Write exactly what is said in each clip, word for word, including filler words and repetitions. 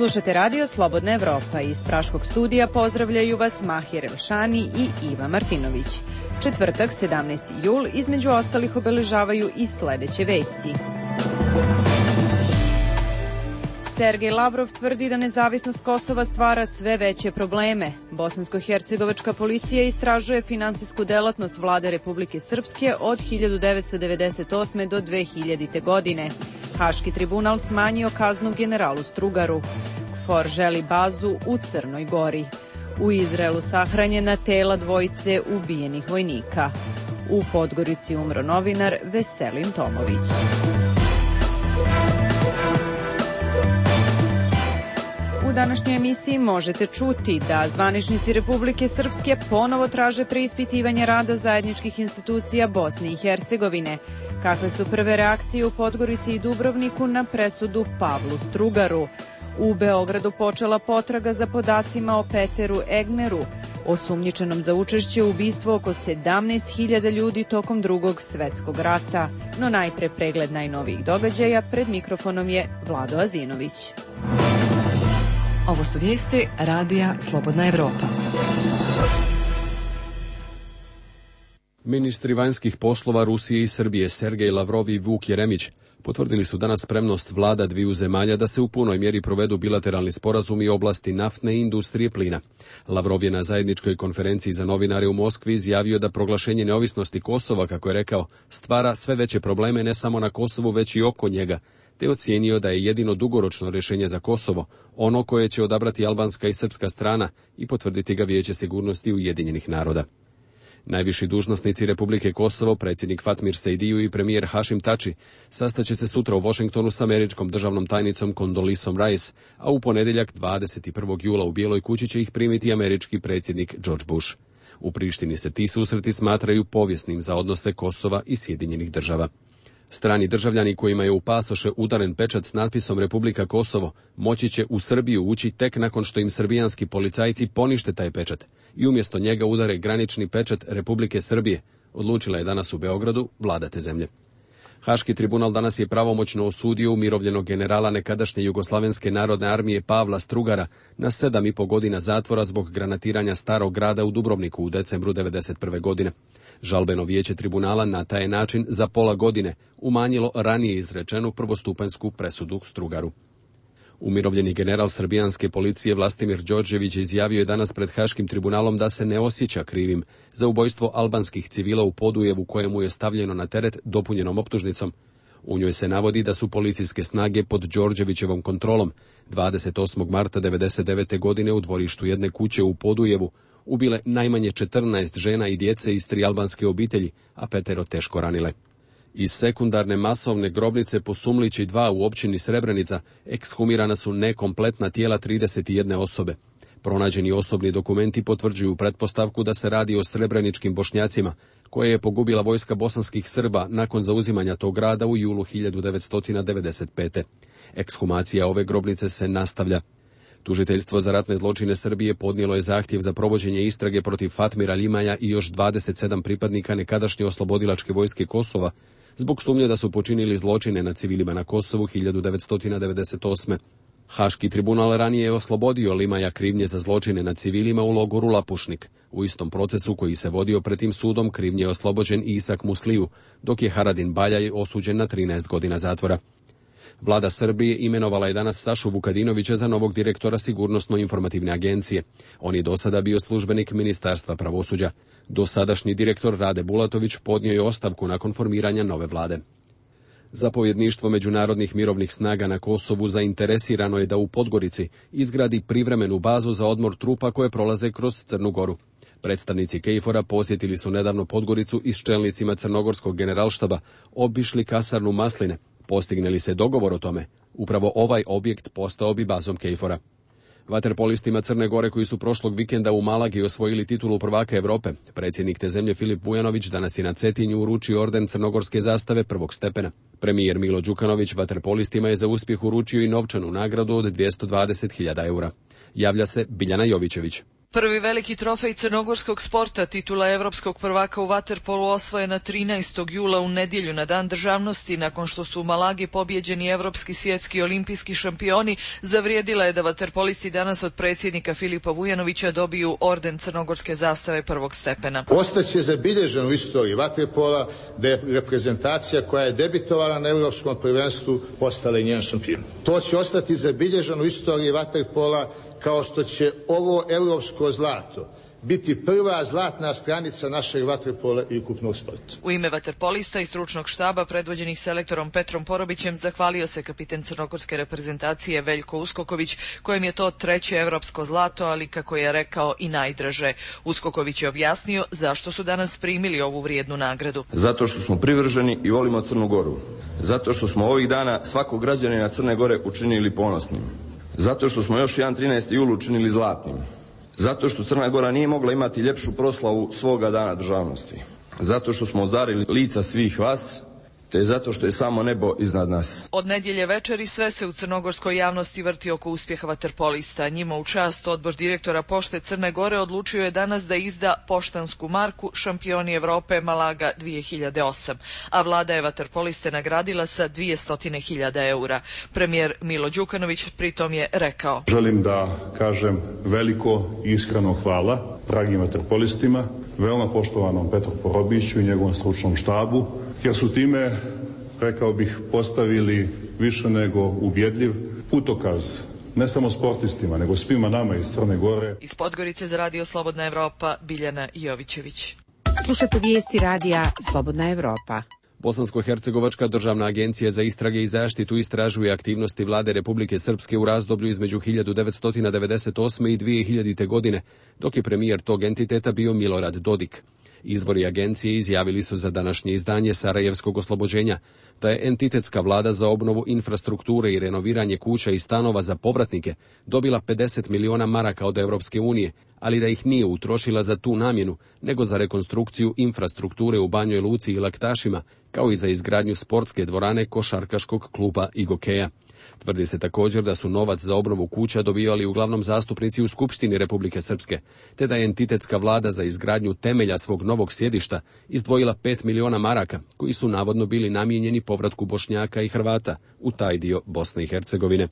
Slušate radio Slobodna Evropa. Iz Praškog studija pozdravljaju vas Mahir Elšani i Iva Martinović. Četvrtak, sedamnaesti jul, između ostalih obeležavaju i sledeće vesti. Sergej Lavrov tvrdi da nezavisnost Kosova stvara sve veće probleme. Bosansko-hercegovačka policija istražuje finansijsku delatnost vlade Republike Srpske od hiljadu devetsto devedeset osme. do dve hiljadite. godine. Haški tribunal smanjio kaznu generalu Strugaru. KFOR želi bazu u Crnoj Gori. U Izraelu sahranjena tela dvojice ubijenih vojnika. U Podgorici umro novinar Veselin Tomović. U današnjoj emisiji možete čuti da zvaničnici Republike Srpske ponovo traže preispitivanje rada zajedničkih institucija Bosne i Hercegovine. Kakve su prve reakcije u Podgorici i Dubrovniku na presudu Pavlu Strugaru? U Beogradu počela potraga za podacima o Peteru Egneru, osumnjičenom za učešće u ubistvu oko sedamnaest hiljada ljudi tokom Drugog svetskog rata. No najpre pregled najnovijih događaja, pred mikrofonom je Vlado Azinović. Ovo su vijesti radija Slobodna Evropa. Ministri vanjskih poslova Rusije i Srbije Sergej Lavrov i Vuk Jeremić potvrdili su danas spremnost vlada dviju zemalja da se u punoj mjeri provedu bilateralni sporazumi u oblasti naftne i industrije plina. Lavrov je na zajedničkoj konferenciji za novinare u Moskvi izjavio da proglašenje neovisnosti Kosova, kako je rekao, stvara sve veće probleme ne samo na Kosovu već i oko njega, te ocijenio da je jedino dugoročno rješenje za Kosovo ono koje će odabrati albanska i srpska strana i potvrditi ga Vijeće sigurnosti Ujedinjenih naroda. Najviši dužnosnici Republike Kosovo, predsjednik Fatmir Sejdiju i premijer Hašim Tači, sastaće se sutra u Washingtonu s američkom državnom tajnicom Kondolisom Rice, a u ponedjeljak dvadeset prvog jula u Bijeloj kući će ih primiti američki predsjednik George Bush. U Prištini se ti susreti smatraju povijesnim za odnose Kosova i Sjedinjenih država. Strani državljani kojima je u pasoše udaren pečat s natpisom Republika Kosovo moći će u Srbiju ući tek nakon što im srbijanski policajci ponište taj pečat i umjesto njega udare granični pečat Republike Srbije, odlučila je danas u Beogradu vlada te zemlje. Haški tribunal danas je pravomoćno osudio umirovljenog generala nekadašnje Jugoslavenske narodne armije Pavla Strugara na sedam i po godina zatvora zbog granatiranja starog grada u Dubrovniku u decembru devedeset prve. godine. Žalbeno vijeće tribunala na taj način za pola godine umanjilo ranije izrečenu prvostupanjsku presudu Strugaru. Umirovljeni general srbijanske policije Vlastimir Đorđević izjavio je danas pred Haškim tribunalom da se ne osjeća krivim za ubojstvo albanskih civila u Podujevu kojemu je stavljeno na teret dopunjenom optužnicom. U njoj se navodi da su policijske snage pod Đorđevićevom kontrolom dvadeset osmog marta devedeset devete. godine u dvorištu jedne kuće u Podujevu ubile najmanje četrnaest žena i djece iz tri albanske obitelji, a petero teško ranile. Iz sekundarne masovne grobnice po Sumlići dva u općini Srebrenica ekshumirana su nekompletna tijela trideset jedne osobe. Pronađeni osobni dokumenti potvrđuju pretpostavku da se radi o srebreničkim Bošnjacima, koje je pogubila vojska bosanskih Srba nakon zauzimanja tog grada u julu hiljadu devetsto devedeset pete. Ekshumacija ove grobnice se nastavlja. Tužiteljstvo za ratne zločine Srbije podnijelo je zahtjev za provođenje istrage protiv Fatmira Limaja i još dvadeset sedam pripadnika nekadašnje oslobodilačke vojske Kosova zbog sumnje da su počinili zločine na civilima na Kosovu hiljadu devetsto devedeset osme. Haški tribunal ranije je oslobodio Limaja krivnje za zločine na civilima u logoru Lapušnik. U istom procesu koji se vodio pred tim sudom krivnje je oslobođen Isak Musliju, dok je Haradin Baljaj osuđen na trinaest godina zatvora. Vlada Srbije imenovala je danas Sašu Vukadinovića za novog direktora Sigurnosno-informativne agencije. On je do sada bio službenik Ministarstva pravosuđa. Dosadašnji direktor Rade Bulatović podnio je ostavku nakon formiranja nove vlade. Zapovjedništvo međunarodnih mirovnih snaga na Kosovu zainteresirano je da u Podgorici izgradi privremenu bazu za odmor trupa koje prolaze kroz Crnu Goru. Predstavnici KFOR-a posjetili su nedavno Podgoricu i s čelnicima crnogorskog generalštaba obišli kasarnu Masline. Postigne li se dogovor o tome, upravo ovaj objekt postao bi bazom KFOR-a. Vaterpolistima Crne Gore koji su prošlog vikenda u Malagi osvojili titulu prvaka Europe, predsjednik te zemlje Filip Vujanović danas je na Cetinju uručio orden crnogorske zastave prvog stepena. Premijer Milo Đukanović vaterpolistima je za uspjeh uručio i novčanu nagradu od dvjesto dvadeset hiljada eura. Javlja se Biljana Jovićević. Prvi veliki trofej crnogorskog sporta, titula evropskog prvaka u vaterpolu, osvojena trinaestog jula u nedjelju na Dan državnosti, nakon što su u Malagi pobjeđeni evropski, svjetski i olimpijski šampioni. Zavrijedila je da vaterpolisti danas od predsjednika Filipa Vujanovića dobiju orden crnogorske zastave prvog stepena. Ostaće zabilježeno u istoriji vaterpola da je reprezentacija koja je debitovala na evropskom prvenstvu postala i njen šampion. To će ostati zabilježeno u istoriji vaterpola, kao što će ovo europsko zlato biti prva zlatna stranica našeg vaterpola i ukupnog sporta. U ime vaterpolista i stručnog štaba predvođenih selektorom Petrom Porobićem zahvalio se kapiten crnogorske reprezentacije Veljko Uskoković, kojem je to treće evropsko zlato, ali kako je rekao i najdraže. Uskoković je objasnio zašto su danas primili ovu vrijednu nagradu. Zato što smo privrženi i volimo Crnu Goru. Zato što smo ovih dana svakog građanina Crne Gore učinili ponosnim. Zato što smo još jedan trinaesti jul učinili zlatnim. Zato što Crna Gora nije mogla imati ljepšu proslavu svoga dana državnosti. Zato što smo ozarili lica svih vas, te zato što je samo nebo iznad nas. Od nedjelje večeri sve se u crnogorskoj javnosti vrti oko uspjeha vaterpolista. Njima u čast odbor direktora Pošte Crne Gore odlučio je danas da izda poštansku marku Šampioni Evrope Malaga dvije hiljade osam, a vlada je vaterpoliste nagradila sa dvjesto hiljada eura. Premijer Milo Đukanović pritom je rekao: Želim da kažem veliko i iskreno hvala dragim vaterpolistima, veoma poštovanom Petru Porobiću i njegovom stručnom štabu, jer su time, rekao bih, postavili više nego ubjedljiv putokaz ne samo sportistima, nego svima nama iz Crne Gore. Iz Podgorice za Radio Slobodna Evropa, Biljana Jovićević. Slušajte vijesti radija Slobodna Evropa. Bosansko-hercegovačka državna agencija za istrage i zaštitu istražuje aktivnosti vlade Republike Srpske u razdoblju između hiljadu devetsto devedeset osme i dvije hiljadite. godine, dok je premijer tog entiteta bio Milorad Dodik. Izvori agencije izjavili su za današnje izdanje Sarajevskog oslobođenja da je entitetska vlada za obnovu infrastrukture i renoviranje kuća i stanova za povratnike dobila pedeset miliona maraka od Europske unije, ali da ih nije utrošila za tu namjenu, nego za rekonstrukciju infrastrukture u Banjoj Luci i Laktašima, kao i za izgradnju sportske dvorane košarkaškog kluba i gokeja. Tvrdi se također da su novac za obnovu kuća dobivali uglavnom zastupnici u Skupštini Republike Srpske, te da je entitetska vlada za izgradnju temelja svog novog sjedišta izdvojila pet miliona maraka, koji su navodno bili namijenjeni povratku Bošnjaka i Hrvata u taj dio Bosne i Hercegovine.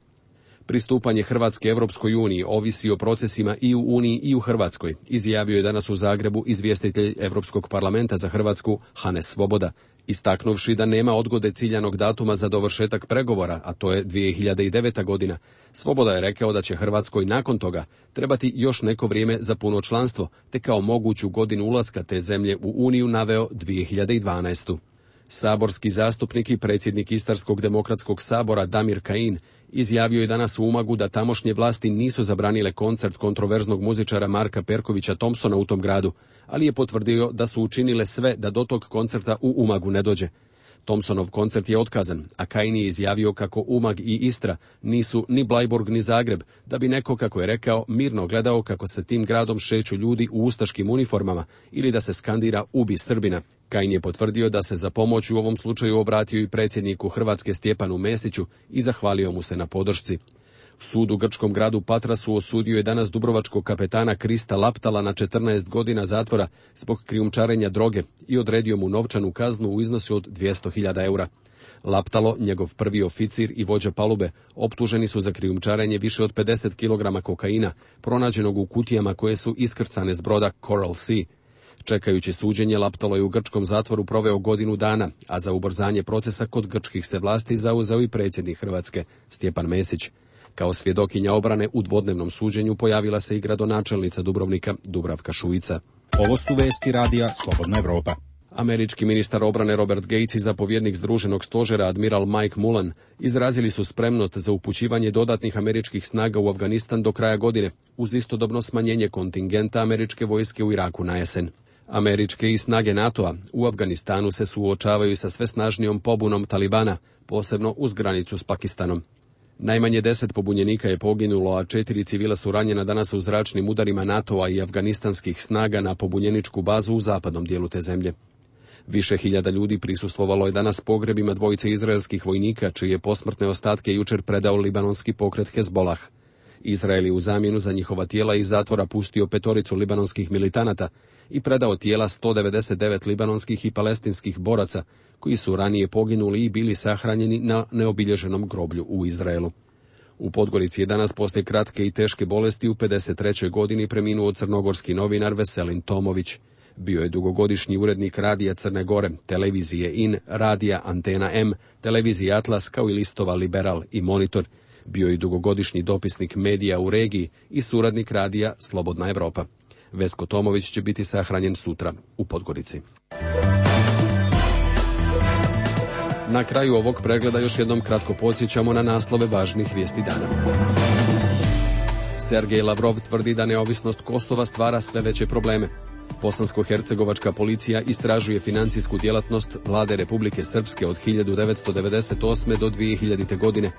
Pristupanje Hrvatske Evropskoj uniji ovisi o procesima i u Uniji i u Hrvatskoj, izjavio je danas u Zagrebu izvjestitelj Europskog parlamenta za Hrvatsku Hanes Svoboda, istaknuvši da nema odgode ciljanog datuma za dovršetak pregovora, a to je dvije hiljade deveta. godina. Svoboda je rekao da će Hrvatskoj nakon toga trebati još neko vrijeme za puno članstvo, te kao moguću godinu ulaska te zemlje u Uniju naveo dvije hiljade dvanaestu. Saborski zastupnik i predsjednik Istarskog demokratskog sabora Damir Kajin izjavio je danas u Umagu da tamošnje vlasti nisu zabranile koncert kontroverznog muzičara Marka Perkovića Thompsona u tom gradu, ali je potvrdio da su učinile sve da do tog koncerta u Umagu ne dođe. Thompsonov koncert je otkazan, a Kajin je izjavio kako Umag i Istra nisu ni Blajburg ni Zagreb, da bi neko, kako je rekao, mirno gledao kako se tim gradom šeću ljudi u ustaškim uniformama ili da se skandira "Ubi Srbina". Kajin je potvrdio da se za pomoć u ovom slučaju obratio i predsjedniku Hrvatske Stjepanu Mesiću i zahvalio mu se na podršci. Sud u grčkom gradu Patrasu osudio je danas dubrovačkog kapetana Krista Laptala na četrnaest godina zatvora zbog krijumčarenja droge i odredio mu novčanu kaznu u iznosu od dvjesto hiljada eura. Laptalo, njegov prvi oficir i vođa palube, optuženi su za krijumčarenje više od pedeset kilograma kokaina, pronađenog u kutijama koje su iskrcane s broda Coral Sea. Čekajući suđenje, Laptalo je u grčkom zatvoru proveo godinu dana, a za ubrzanje procesa kod grčkih se vlasti zauzeo i predsjednik Hrvatske Stjepan Mesić. Kao svjedokinja obrane u dvodnevnom suđenju pojavila se i gradonačelnica Dubrovnika Dubravka Šuica. Ovo su vesti radija Slobodna Evropa. Američki ministar obrane Robert Gates i zapovjednik Združenog stožera admiral Mike Mullen izrazili su spremnost za upućivanje dodatnih američkih snaga u Afganistan do kraja godine, uz istodobno smanjenje kontingenta američke vojske u Iraku na jesen. Američke i snage NATO-a u Afganistanu se suočavaju sa sve snažnijom pobunom Talibana, posebno uz granicu s Pakistanom. Najmanje deset pobunjenika je poginulo, a četiri civila su ranjena danas u zračnim udarima NATO-a i afganistanskih snaga na pobunjeničku bazu u zapadnom dijelu te zemlje. Više hiljada ljudi prisustvovalo je danas pogrebima dvojice izraelskih vojnika, čije posmrtne ostatke jučer predao libanonski pokret Hezbolah. Izrael je u zamjenu za njihova tijela iz zatvora pustio petoricu libanonskih militanata i predao tijela sto devedeset devet libanonskih i palestinskih boraca koji su ranije poginuli i bili sahranjeni na neobilježenom groblju u Izraelu. U Podgorici je danas poslije kratke i teške bolesti u pedeset trećoj godini preminuo crnogorski novinar Veselin Tomović. Bio je dugogodišnji urednik Radija Crne Gore, televizije In, Radija Antena M, televizije Atlas kao i listova Liberal i Monitor. Bio je dugogodišnji dopisnik medija u regiji i suradnik radija Slobodna Evropa. Vesko Tomović će biti sahranjen sutra u Podgorici. Na kraju ovog pregleda još jednom kratko podsjećamo na naslove važnih vijesti dana. Sergej Lavrov tvrdi da neovisnost Kosova stvara sve veće probleme. Bosansko-hercegovačka policija istražuje financijsku djelatnost vlade Republike Srpske od hiljadu devetsto devedeset osme do dvije hiljadite. godine.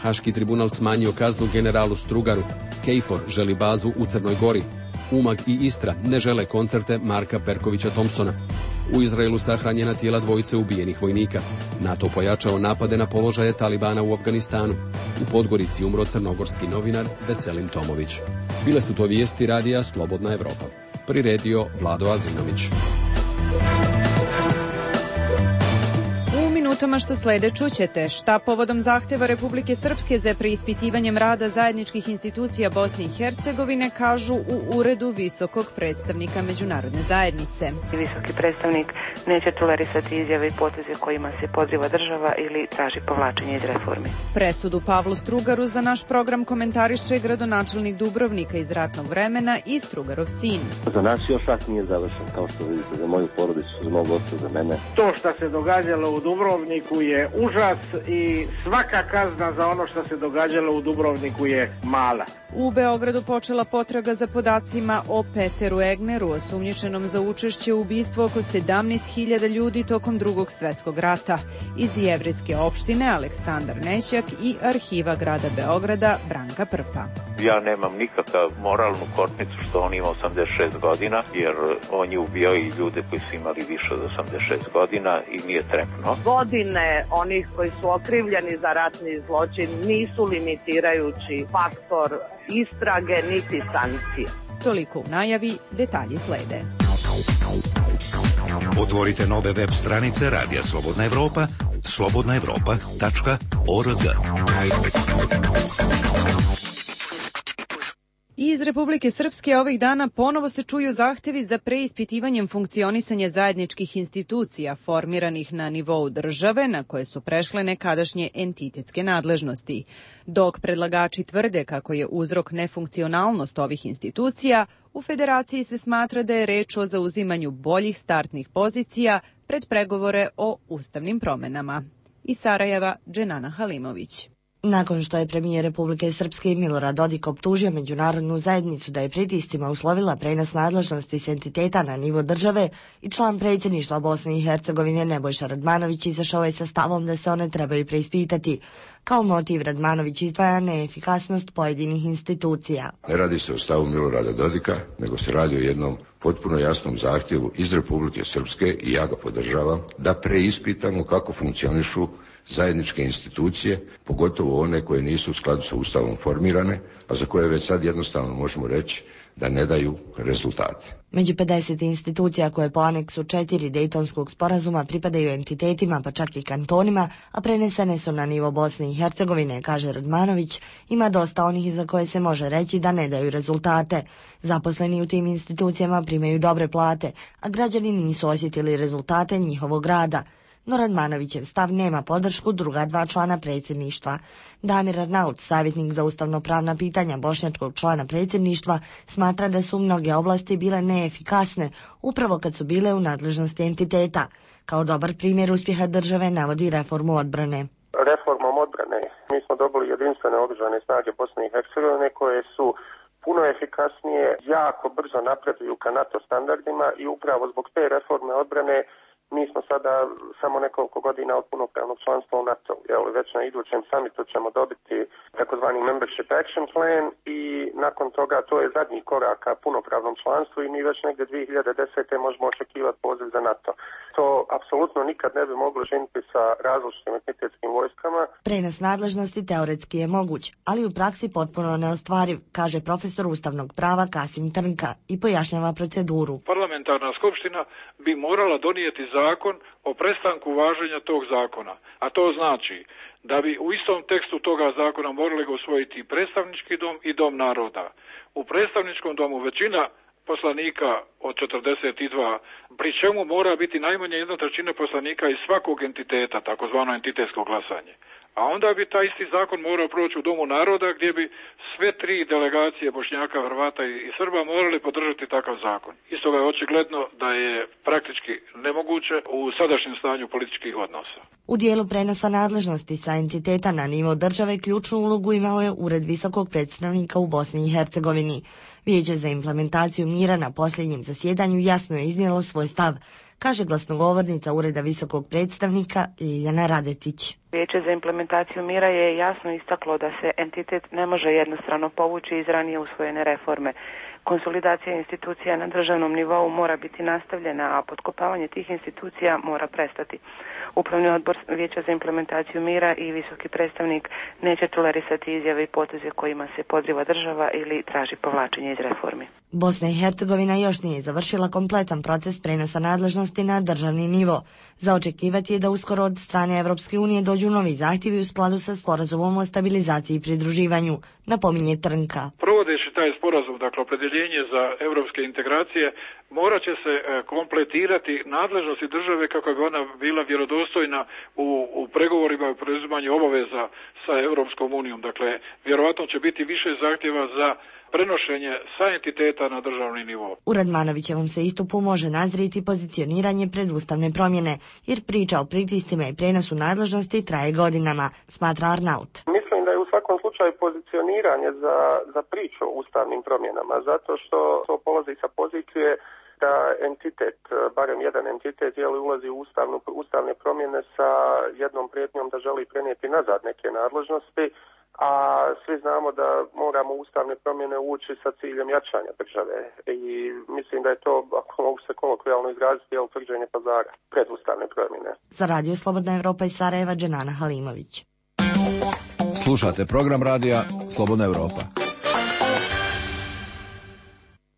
Haški tribunal smanjio kaznu generalu Strugaru. Kejfor želi bazu u Crnoj Gori. Umag i Istra ne žele koncerte Marka Perkovića Thompsona. U Izraelu sahranjena tijela dvojice ubijenih vojnika. NATO pojačao napade na položaje Talibana u Afganistanu. U Podgorici umro crnogorski novinar Veselin Tomović. Bile su to vijesti radija Slobodna Evropa. Priredio Vlado Azinović. U minutama što slede čućete šta povodom zahtjeva Republike Srpske za preispitivanjem rada zajedničkih institucija Bosne i Hercegovine kažu u uredu visokog predstavnika međunarodne zajednice. Visoki predstavnik neće tolerisati izjave i poteze kojima se podriva država ili traži povlačenje iz reformi. Presudu Pavlu Strugaru za naš program komentariše gradonačelnik Dubrovnika iz ratnog vremena i Strugarov sin. Za nas još rat nije završen, kao što vidite, za moju porodicu, za mog oca, za mene. To što se događalo u Dubrovniku je užas i svaka kazna za ono što se događalo u Dubrovniku je mala. U Beogradu počela potraga za podacima o Peteru Egneru, osumnjičenom za učešće u ubistvu oko sedamnaest hiljada ljudi tokom Drugog svjetskog rata. Iz jevrejske opštine Aleksandar Nećak i arhiva grada Beograda Branka Prpa. Ja nemam nikakav moralnu kornicu što on ima osamdeset šest godina, jer on je ubijao i ljude koji su imali više od osamdeset šest godina i nije trepno. Godine onih koji su okrivljeni za ratni zločin nisu limitirajući faktor istrage niti sankcije. Toliko u najavi, detalji slede. Otvorite nove web stranice Radija Slobodna Evropa, slobodna evropa tačka org. Iz Republike Srpske ovih dana ponovo se čuju zahtjevi za preispitivanjem funkcionisanja zajedničkih institucija formiranih na nivou države na koje su prešle nekadašnje entitetske nadležnosti. Dok predlagači tvrde kako je uzrok nefunkcionalnost ovih institucija, u Federaciji se smatra da je reč o zauzimanju boljih startnih pozicija pred pregovore o ustavnim promenama. Iz Sarajeva, Dženana Halimović. Nakon što je premijer Republike Srpske Milorad Dodik optužio međunarodnu zajednicu da je pritiscima uslovila prenos nadležnosti s entiteta na nivo države i član predsjedništva Bosne i Hercegovine Nebojša Radmanović izašao je sa stavom da se one trebaju preispitati. Kao motiv Radmanović izdvaja neefikasnost pojedinih institucija. Ne radi se o stavu Milorada Dodika, nego se radi o jednom potpuno jasnom zahtjevu iz Republike Srpske i ja ga podržavam da preispitamo kako funkcionišu zajedničke institucije, pogotovo one koje nisu u skladu sa Ustavom formirane, a za koje već sad jednostavno možemo reći da ne daju rezultate. Među pedeset institucija koje po aneksu četiri Dejtonskog sporazuma pripadaju entitetima, pa čak i kantonima, a prenesene su na nivo Bosne i Hercegovine, kaže Radmanović, ima dosta onih za koje se može reći da ne daju rezultate. Zaposleni u tim institucijama primaju dobre plate, a građani nisu osjetili rezultate njihovog rada. No Radmanovićev stav nema podršku druga dva člana predsjedništva. Damir Arnaut, savjetnik za ustavno-pravna pitanja bošnjačkog člana predsjedništva, smatra da su mnoge oblasti bile neefikasne, upravo kad su bile u nadležnosti entiteta. Kao dobar primjer uspjeha države navodi reformu odbrane. Reformom odbrane mi smo dobili jedinstvene oružane snage Bosne i Hercegovine koje su puno efikasnije, jako brzo napreduju ka NATO standardima i upravo zbog te reforme odbrane Mi smo sada samo nekoliko godina od punopravnog članstva u NATO. Jel, već na idućem summitu ćemo dobiti takozvani Membership Action Plan i nakon toga to je zadnji korak ka punopravnom članstvu i mi već negdje dvije hiljade desete možemo očekivati poziv za NATO. To apsolutno nikad ne bi moglo činiti sa različitim entitetskim vojskama. Prenos nadležnosti teoretski je moguć, ali u praksi potpuno neostvariv, kaže profesor ustavnog prava Kasim Trnka i pojašnjava proceduru. Parlamentarna skupština bi morala donijeti zakon o prestanku važenja tog zakona, a to znači da bi u istom tekstu toga zakona morali ga usvojiti i predstavnički dom i dom naroda. U predstavničkom domu većina poslanika od četrdeset dva, pri čemu mora biti najmanje jedna trećina poslanika iz svakog entiteta, takozvano entitetsko glasanje. A onda bi taj isti zakon morao proći u Domu naroda gdje bi sve tri delegacije Bošnjaka, Hrvata i Srba morali podržati takav zakon. Isto je očigledno da je praktički nemoguće u sadašnjem stanju političkih odnosa. U dijelu prenosa nadležnosti sa entiteta na nivo države ključnu ulogu imao je Ured visokog predstavnika u Bosni i Hercegovini. Vijeće za implementaciju mira na posljednjem zasjedanju jasno je iznijelo svoj stav, kaže glasnogovornica Ureda visokog predstavnika Ljiljana Radetić. Vijeće za implementaciju mira je jasno istaklo da se entitet ne može jednostrano povući iz ranije usvojene reforme. Konsolidacija institucija na državnom nivou mora biti nastavljena, a potkopavanje tih institucija mora prestati. Upravni odbor Vijeća za implementaciju mira i visoki predstavnik neće tolerisati izjave i poteze kojima se podriva država ili traži povlačenje iz reformi. Bosna i Hercegovina još nije završila kompletan proces prenosa nadležnosti na državni nivo. Za očekivati je da uskoro od strane Evropske unije dođu novi zahtjevi u skladu sa sporazumom o stabilizaciji i pridruživanju, napominje Trnka. Provodeći taj sporazum, dakle opredjeljenje za evropske integracije, morat će se kompletirati nadležnosti države kako bi ona bila vjerodostojna u, u pregovorima i preuzimanju obaveza sa Europskom unijom. Dakle, vjerovatno će biti više zahtjeva za prenošenje sa entiteta na državni nivo. U Radmanovićevom se istupu može nazriti pozicioniranje pred ustavne promjene, jer priča o pritiscima i prenosu nadležnosti traje godinama, smatra Arnaut. Mislim da je u svakom slučaju pozicioniranje za, za priču o ustavnim promjenama, zato što to polazi sa pozicije da entitet, barem jedan entitet, jeli ulazi u ustavnu, ustavne promjene sa jednom prijetnjom da želi prenijeti nazad neke nadležnosti, a svi znamo da moramo ustavne promjene ući sa ciljem jačanja države i mislim da je to, ako mogu se kolokvijalno izraziti, je utvrđenje pazara pred ustavne promjene. Za Radio Slobodna Evropa iz Sarajeva, Dženana Halimović. Slušate program radija Slobodna Evropa.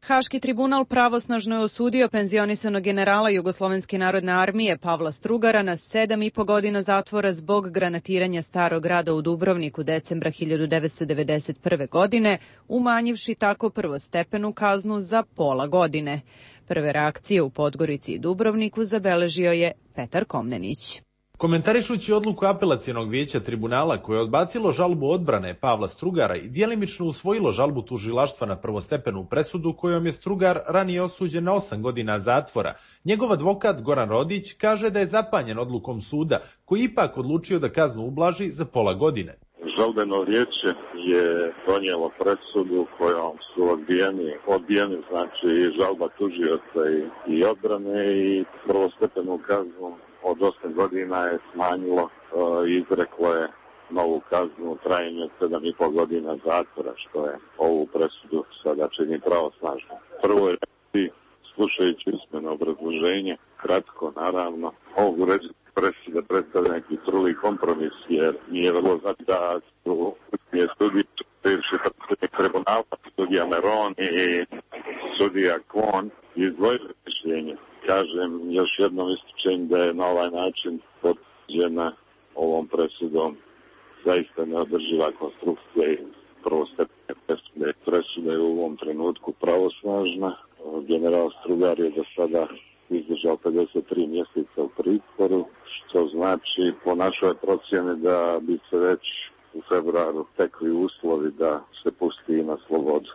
Haški tribunal pravosnažno je osudio penzionisanog generala Jugoslovenske narodne armije Pavla Strugara na sedam i po godina zatvora zbog granatiranja starog grada u Dubrovniku decembra hiljadu devetsto devedeset prve. godine, umanjivši tako prvostepenu kaznu za pola godine. Prve reakcije u Podgorici i Dubrovniku zabeležio je Petar Komnenić. Komentarišući odluku apelacionog vijeća tribunala koje je odbacilo žalbu odbrane Pavla Strugara i djelimično usvojilo žalbu tužilaštva na prvostepenu presudu kojom je Strugar ranije osuđen na osam godina zatvora, njegov advokat Goran Rodić kaže da je zapanjen odlukom suda koji ipak odlučio da kaznu ublaži za pola godine. Žalbeno vijeće je donijelo presudu kojom su odbijeni, odbijeni znači žalba tužioca i, i odbrane i prvostepenu kaznu od osam godina je smanjilo i uh, izreklo je novu kaznu u trajanju od sedam i po godina zatvora, što je ovu presudu sada čini pravosnažno. Prvo je slušajući usmeno obrazloženje, kratko naravno, ovu reći presuda predstavlja neki truli kompromis, jer nije vrlo znači da su je sudije bivši predstavnik tribunala, sudija Meron i sudija Kvon izdvojili mišljenje. Kažem, još jednom ističem da je na ovaj način potvrđena ovom presudom zaista neodrživa konstrukcija i prvostepene presude. Presuda je u ovom trenutku pravosnažna. General Strugar je do sada izdržao pedeset tri mjeseca u pritvoru, što znači po našoj procjeni da bi se već u februaru tekli uslovi da se pusti na slobodu.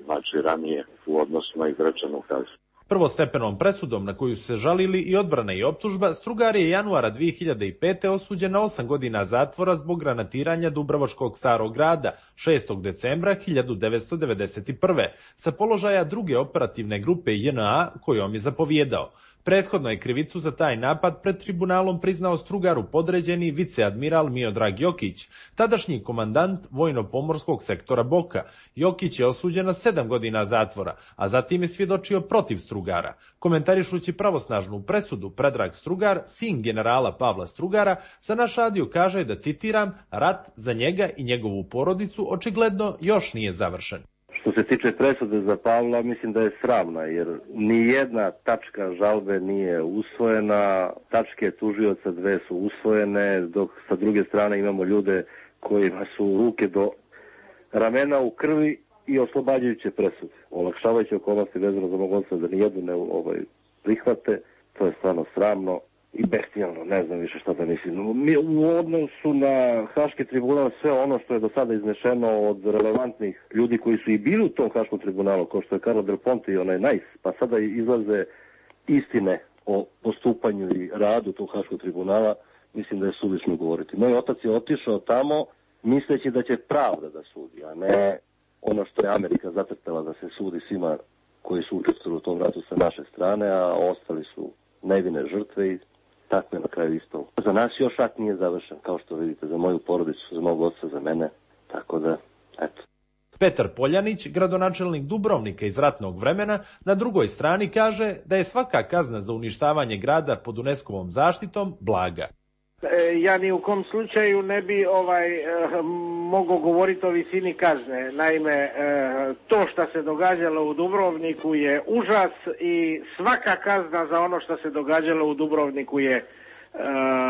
Znači ranije u odnosu na izrečenu kaznu. Prvostepenom presudom na koju su se žalili i odbrana i optužba, Strugar je januara dvije hiljade pete. osuđen na osam godina zatvora zbog granatiranja Dubrovačkog Starog grada šestog decembra hiljadu devetsto devedeset prve. sa položaja druge operativne grupe J N A kojom je zapovjedao. Prethodno je krivicu za taj napad pred tribunalom priznao Strugaru podređeni viceadmiral Miodrag Jokić, tadašnji komandant vojno-pomorskog sektora Boka. Jokić je osuđen na sedam godina zatvora, a zatim je svjedočio protiv Strugara. Komentarišući pravosnažnu presudu, Predrag Strugar, sin generala Pavla Strugara, za naš radio kaže da, citiram, rat za njega i njegovu porodicu očigledno još nije završen. Što se tiče presude za Pavla, mislim da je sramna, jer ni jedna tačka žalbe nije usvojena, tačke tužioca dve su usvojene, dok sa druge strane imamo ljude kojima su ruke do ramena u krvi i oslobađajuće presude. Olakšavajuće okolnosti vezano za mog oca da nijednu ne ovaj, prihvate, to je stvarno sramno i bestijalno, ne znam više šta da mislim. Mi u odnosu na Haški tribunal, sve ono što je do sada iznešeno od relevantnih ljudi koji su i bili u tom Haškom tribunalu, kao što je Karlo Del Ponte i onaj Najs, pa sada izlaze istine o postupanju i radu tog Haškog tribunala, mislim da je suvišno govoriti. Moj otac je otišao tamo misleći da će pravda da sudi, a ne ono što je Amerika zacrtala da se sudi svima koji su učestvovali u tom ratu sa naše strane, a ostali su nevine žrtve i tako je na kraju isto. Za nas još rat nije završen, kao što vidite, za moju porodicu, za mog oca, za mene, tako da, eto. Petar Poljanić, gradonačelnik Dubrovnika iz ratnog vremena, na drugoj strani kaže da je svaka kazna za uništavanje grada pod UNESCO-vom zaštitom blaga. E, ja ni u kom slučaju ne bi ovaj e, mogao govoriti o visini kazne. Naime, e, to što se događalo u Dubrovniku je užas i svaka kazna za ono što se događalo u Dubrovniku je e,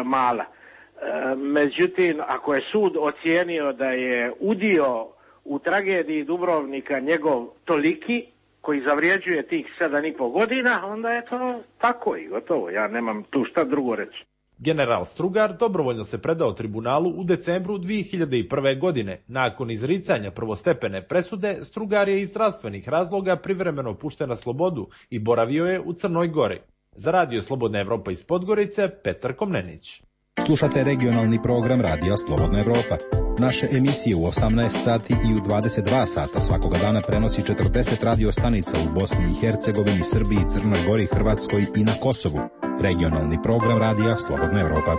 mala. E, međutim, ako je sud ocijenio da je udio u tragediji Dubrovnika njegov toliki, koji zavrijeđuje tih sedam i pol godina, onda je to tako i gotovo. Ja nemam tu šta drugo reći. General Strugar dobrovoljno se predao tribunalu u decembru dvije hiljade prve. godine. Nakon izricanja prvostepene presude, Strugar je iz zdravstvenih razloga privremeno pušten na slobodu i boravio je u Crnoj Gori. Za Radio Slobodna Evropa iz Podgorice, Petar Komnenić. Slušate regionalni program Radija Slobodna Evropa. Naše emisije u osamnaest sati i u dvadeset dva sata svakoga dana prenosi četrdeset radio stanica u Bosni i Hercegovini, Srbiji, Crnoj Gori, Hrvatskoj i na Kosovu. Regionalni program Radija Slobodna Evropa.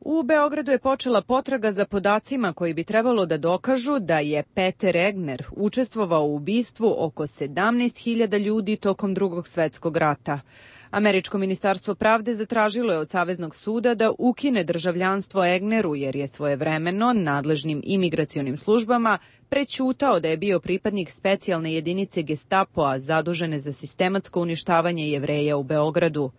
U Beogradu je počela potraga za podacima koji bi trebalo da dokažu da je Peter Egner učestvovao u ubistvu oko sedamnaest hiljada ljudi tokom Drugog svetskog rata. Američko ministarstvo pravde zatražilo je od Saveznog suda da ukine državljanstvo Egneru jer je svojevremeno nadležnim imigracionim službama prećutao da je bio pripadnik specijalne jedinice Gestapoa zadužene za sistematsko uništavanje Jevreja u Beogradu.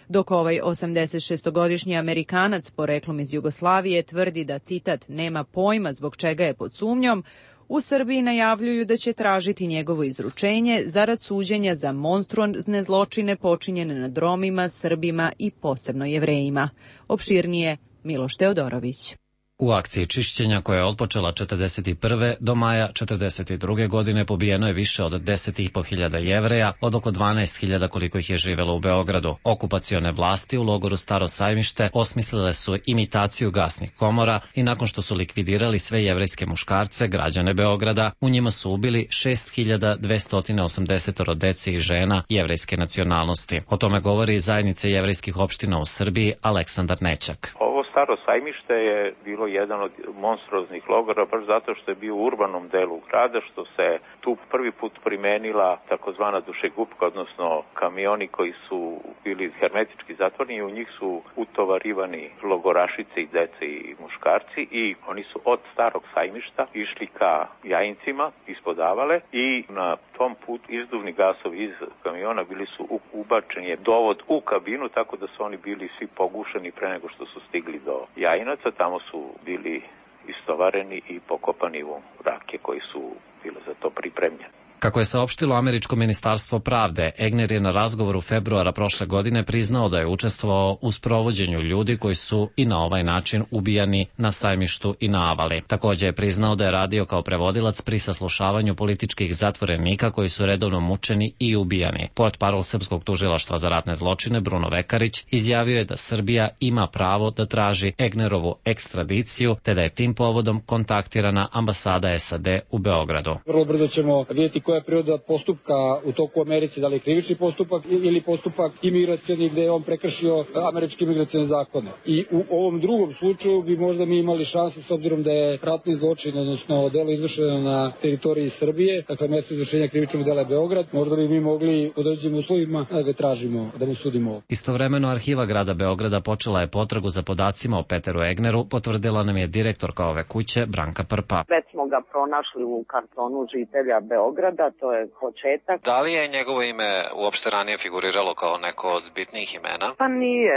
Dok ovaj osamdesetšestogodišnji Amerikanac poreklom iz Jugoslavije tvrdi da, citat, nema pojma zbog čega je pod sumnjom, u Srbiji najavljuju da će tražiti njegovo izručenje zarad suđenja za monstruozne zločine počinjene nad Romima, Srbima i posebno Jevrejima. Opširnije Miloš Teodorović. U akciji čišćenja koja je otpočela četrdeset prve do maja četrdeset druge. godine pobijeno je više od deset i po hiljada Jevreja od oko dvanaest hiljada koliko ih je živjelo u Beogradu. Okupacione vlasti u logoru Staro Sajmište osmislile su imitaciju gasnih komora i nakon što su likvidirali sve jevrejske muškarce, građane Beograda, u njima su ubili šest hiljada dvesta osamdeset dece i žena jevrejske nacionalnosti. O tome govori zajednice jevrejskih opština u Srbiji Aleksandar Nećak. Ovo Staro Sajmište je bilo jedan od monstruoznih logora, baš zato što je bio u urbanom delu grada, što se tu prvi put primenila takozvana dušegupka, odnosno kamioni koji su bili hermetički zatvoreni i u njih su utovarivani logorašice i dece i muškarci i oni su od Starog Sajmišta išli ka Jajincima ispod Avale i na tom put izduvni gasovi iz kamiona bili su ubačeni je dovod u kabinu, tako da su oni bili svi pogušeni pre nego što su stigli do Jajinaca. Tamo su bili istovareni i pokopani u rake koji su bile za to pripremljeni. Kako je saopštilo američko ministarstvo pravde, Egner je na razgovoru februara prošle godine priznao da je učestvovao u sprovođenju ljudi koji su i na ovaj način ubijani na Sajmištu i na Avali. Također je priznao da je radio kao prevodilac pri saslušavanju političkih zatvorenika koji su redovno mučeni i ubijani. Portparol Srpskog tužilaštva za ratne zločine Bruno Vekarić izjavio je da Srbija ima pravo da traži Egnerovu ekstradiciju, te da je tim povodom kontaktirana ambasada S A D u Beogradu. Vrlo brzo ćemo vidjeti koja je priroda postupka u toku Americi, da li je krivični postupak ili postupak imigracioni gde je on prekršio američke imigracione zakone. I u ovom drugom slučaju bi možda mi imali šanse, s obzirom da je ratni zločin, odnosno delo izvršeno na teritoriji Srbije, dakle mesto izvršenja krivičnog dela je Beograd, možda bi mi mogli u određenim uslovima da ga tražimo, da mu sudimo. Istovremeno arhiva grada Beograda počela je potragu za podacima o Peteru Egneru, potvrdila nam je direktorka ove kuće Branka Prpa. Već smo ga pronašli u kartonu žitelja Beograda, to je početak. Da li je njegovo ime uopšte ranije figuriralo kao neko od bitnijih imena? Pa nije,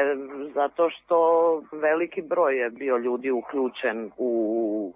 zato što veliki broj je bio ljudi uključen u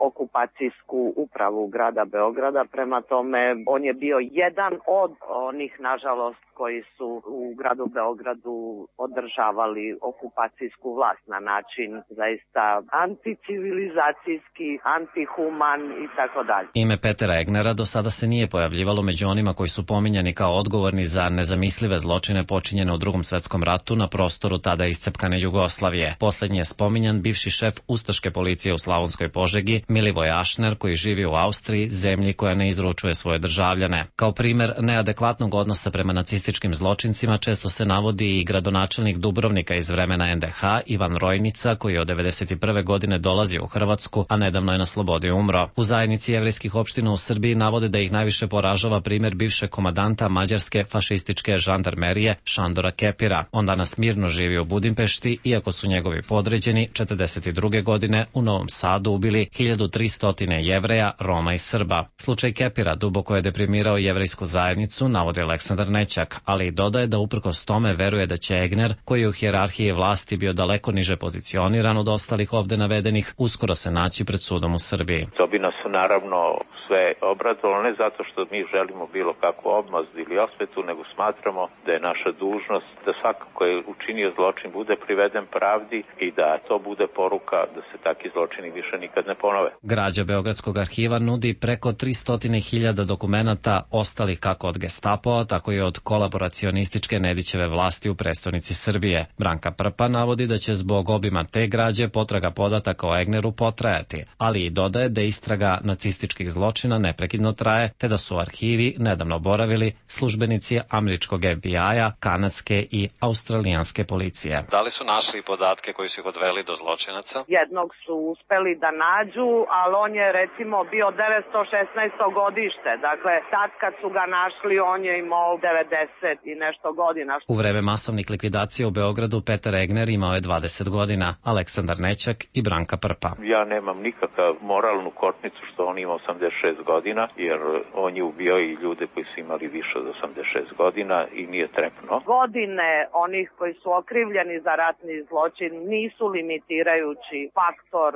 okupacijsku upravu grada Beograda, prema tome on je bio jedan od onih, nažalost, koji su u gradu Beogradu održavali okupacijsku vlast na način zaista anticivilizacijski, antihuman i tako dalje. Ime Petera Egnera do sada se nije pojavljivalo među onima koji su pominjani kao odgovorni za nezamislive zločine počinjene u Drugom svetskom ratu na prostoru tada iscepkane Jugoslavije. Poslednji je spominjan bivši šef ustaške policije u Slavonskoj Požegi, Milivoj Ašner, koji živi u Austriji, zemlji koja ne izručuje svoje državljane. Kao primer neadekvatnog odnosa prema nacističkim zločincima često se navodi i gradonačelnik Dubrovnika iz vremena N D H, Ivan Rojnica, koji je od devedeset prve godine dolazio u Hrvatsku, a nedavno je na slobodi umro. U zajednici jevrejskih opština u Srbiji navode da ih najviše poražava primer bivšeg komadanta mađarske fašističke žandarmerije Šandora Kepira. On danas mirno živi u Budimpešti, iako su njegovi podređeni četrdeset druge godine u Novom Sadu ubili hiljadu tristo Jevreja, Roma i Srba. Slučaj Kepira duboko je deprimirao jevrejsku zajednicu, navodi Aleksandar Nećak, ali i dodaje da uprkos tome veruje da će Egner, koji je u hijerarhiji vlasti bio daleko niže pozicioniran od ostalih ovde navedenih, uskoro se naći pred sudom u Srbiji. To bi nas naravno sve obradovalo, ne zato što mi želimo bilo kakvu obmazdu ili osvetu, nego smatramo da je naša dužnost da svako ko je učinio zločin bude priveden pravdi i da to bude poruka da se takvi zločini više nikad ne ponove. Građa Beogradskog arhiva nudi preko tristo hiljada dokumenata ostalih kako od Gestapoa, tako i od kolaboracionističke Nedićeve vlasti u prestonici Srbije. Branka Prpa navodi da će zbog obima te građe potraga podataka o Egneru potrajati, ali i dodaje da istraga nacističkih zločina neprekidno traje, te da su u arhivi nedavno boravili službenici američkog F B I-a, kanadske i australijanske policije. Da li su našli podatke koji su ih odveli do zločinaca? Jednog su uspeli da nađu, ali on je recimo bio devetsto šesnaesto godište. Dakle, tad kad su ga našli, on je imao devedeset i nešto godina. U vreme masovnih likvidacija u Beogradu Peter Egner imao je dvadeset godina, Aleksandar Nećak i Branka Prpa. Ja nemam nikakav moralnu kotnicu što on ima osamdeset šest godina, jer on je ubio i ljude koji su imali više od osamdeset šest godina i nije trepno. Godine onih koji su okrivljeni za ratni zločin nisu limitirajući faktor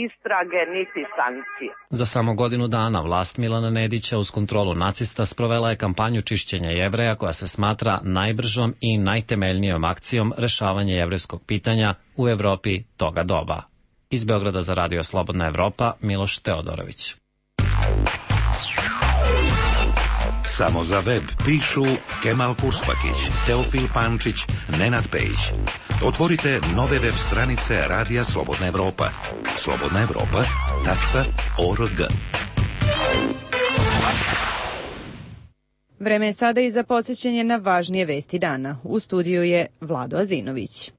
istrage niti sankcije. Za samo godinu dana vlast Milana Nedića uz kontrolu nacista sprovela je kampanju čišćenja Jevreja koja se smatra najbržom i najtemeljnijom akcijom rešavanja jevrejskog pitanja u Evropi toga doba. Iz Beograda za Radio Slobodna Evropa, Miloš Teodorović. Samo za web pišu Kemal Kurspakić, Teofil Pančić, Nenad Pejić. Otvorite nove web stranice Radija Slobodna Evropa. slobodna evropa tačka org. Vreme je sada i za podsjećanje na važnije vesti dana. U studiju je Vlado Azinović.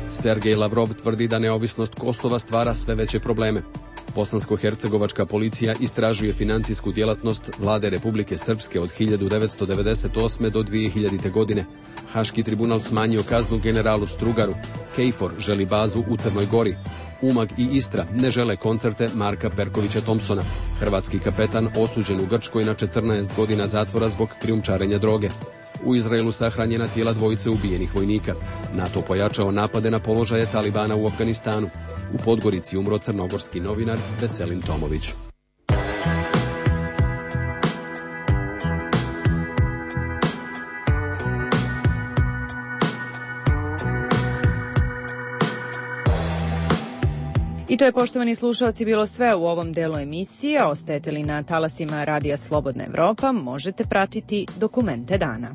Sergej Lavrov tvrdi da neovisnost Kosova stvara sve veće probleme. Bosansko-hercegovačka policija istražuje financijsku djelatnost vlade Republike Srpske od hiljadu devetsto devedeset osme do dvije hiljadite. godine. Haški tribunal smanjio kaznu generalu Strugaru. Kejfor želi bazu u Crnoj Gori. Umag i Istra ne žele koncerte Marka Perkovića Thompsona. Hrvatski kapetan osuđen u Grčkoj na četrnaest godina zatvora zbog krijumčarenja droge. U Izraelu sahranjena tijela dvojice ubijenih vojnika. NATO pojačao napade na položaje Talibana u Afganistanu. U Podgorici umro crnogorski novinar Veselin Tomović. I to je, poštovani slušalci, bilo sve u ovom delu emisije. Ostajete li na talasima Radija Slobodna Evropa, možete pratiti dokumente dana.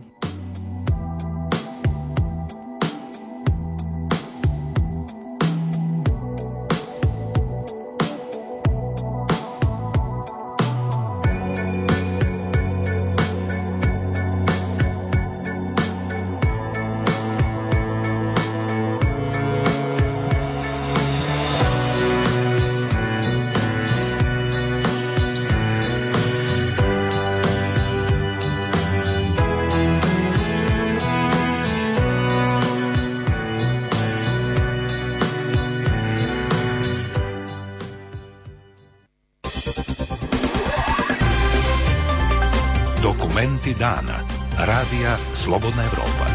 Dokumenti dana. Radija Slobodna Evropa.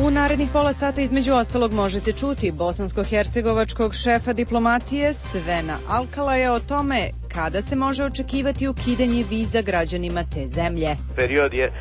U narednih pola sata između ostalog možete čuti bosansko-hercegovačkog šefa diplomatije Svena Alkalaja o tome kada se može očekivati ukidanje viza građanima te zemlje. Period je e,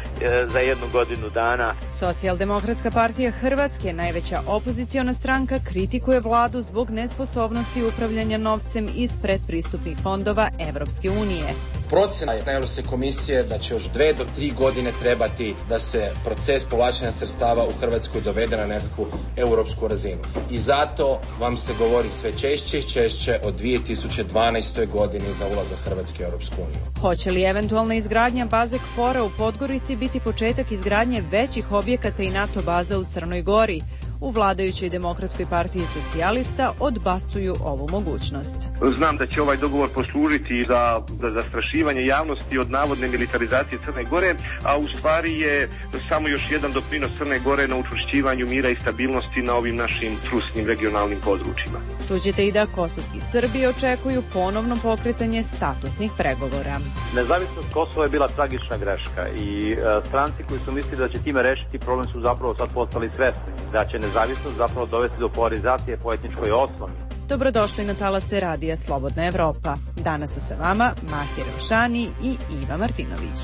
za jednu godinu dana. Socijaldemokratska partija Hrvatske, najveća opoziciona stranka, kritikuje vladu zbog nesposobnosti upravljanja novcem iz predpristupnih fondova Evropske unije. Procena je Europske komisije da će još dve do tri godine trebati da se proces povlačenja sredstava u Hrvatskoj dovede na nekakvu europsku razinu. I zato vam se govori sve češće i češće o dvije tisuće dvanaestoj godini za ulazak Hrvatske u Europsku uniju. Hoće li eventualna izgradnja baze KFOR-a u Podgorici biti početak izgradnje većih objekata i NATO baza u Crnoj Gori? U vladajućoj Demokratskoj partiji socijalista odbacuju ovu mogućnost. Znam da će ovaj dogovor poslužiti za, za zastrašivanje javnosti od navodne militarizacije Crne Gore, a u stvari je samo još jedan doprinos Crne Gore na učvršćivanju mira i stabilnosti na ovim našim trusnim regionalnim područjima. Čućete i da kosovski Srbi očekuju ponovno pokretanje statusnih pregovora. Nezavisnost Kosova je bila tragična greška i e, stranci koji su mislili da će time rešiti problem su zapravo sad postali svesni da će nezavisnost zapravo dovesti do polarizacije po etničkoj osnovi. Dobrodošli na talase Radija Slobodna Evropa. Danas su sa vama Mahir Rošani i Iva Martinović.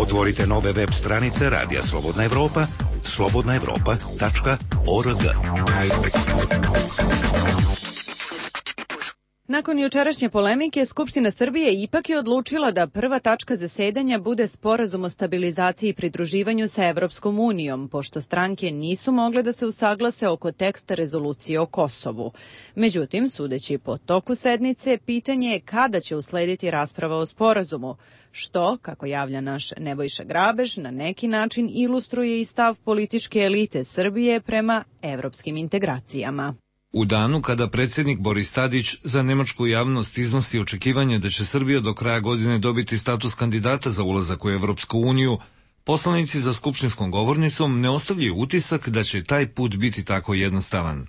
Otvorite nove web stranice Radija Slobodna Evropa, slobodna evropa tačka org. Nakon jučerašnje polemike, Skupština Srbije ipak je odlučila da prva tačka zasedanja bude sporazum o stabilizaciji i pridruživanju sa Evropskom unijom, pošto stranke nisu mogle da se usaglase oko teksta rezolucije o Kosovu. Međutim, sudeći po toku sednice, pitanje je kada će uslediti rasprava o sporazumu, što, kako javlja naš Nebojša Grabež, na neki način ilustruje i stav političke elite Srbije prema evropskim integracijama. U danu kada predsjednik Boris Tadić za nemačku javnost iznosi očekivanje da će Srbija do kraja godine dobiti status kandidata za ulazak u Evropsku uniju, poslanici za skupštinskom govornicom ne ostavljaju utisak da će taj put biti tako jednostavan.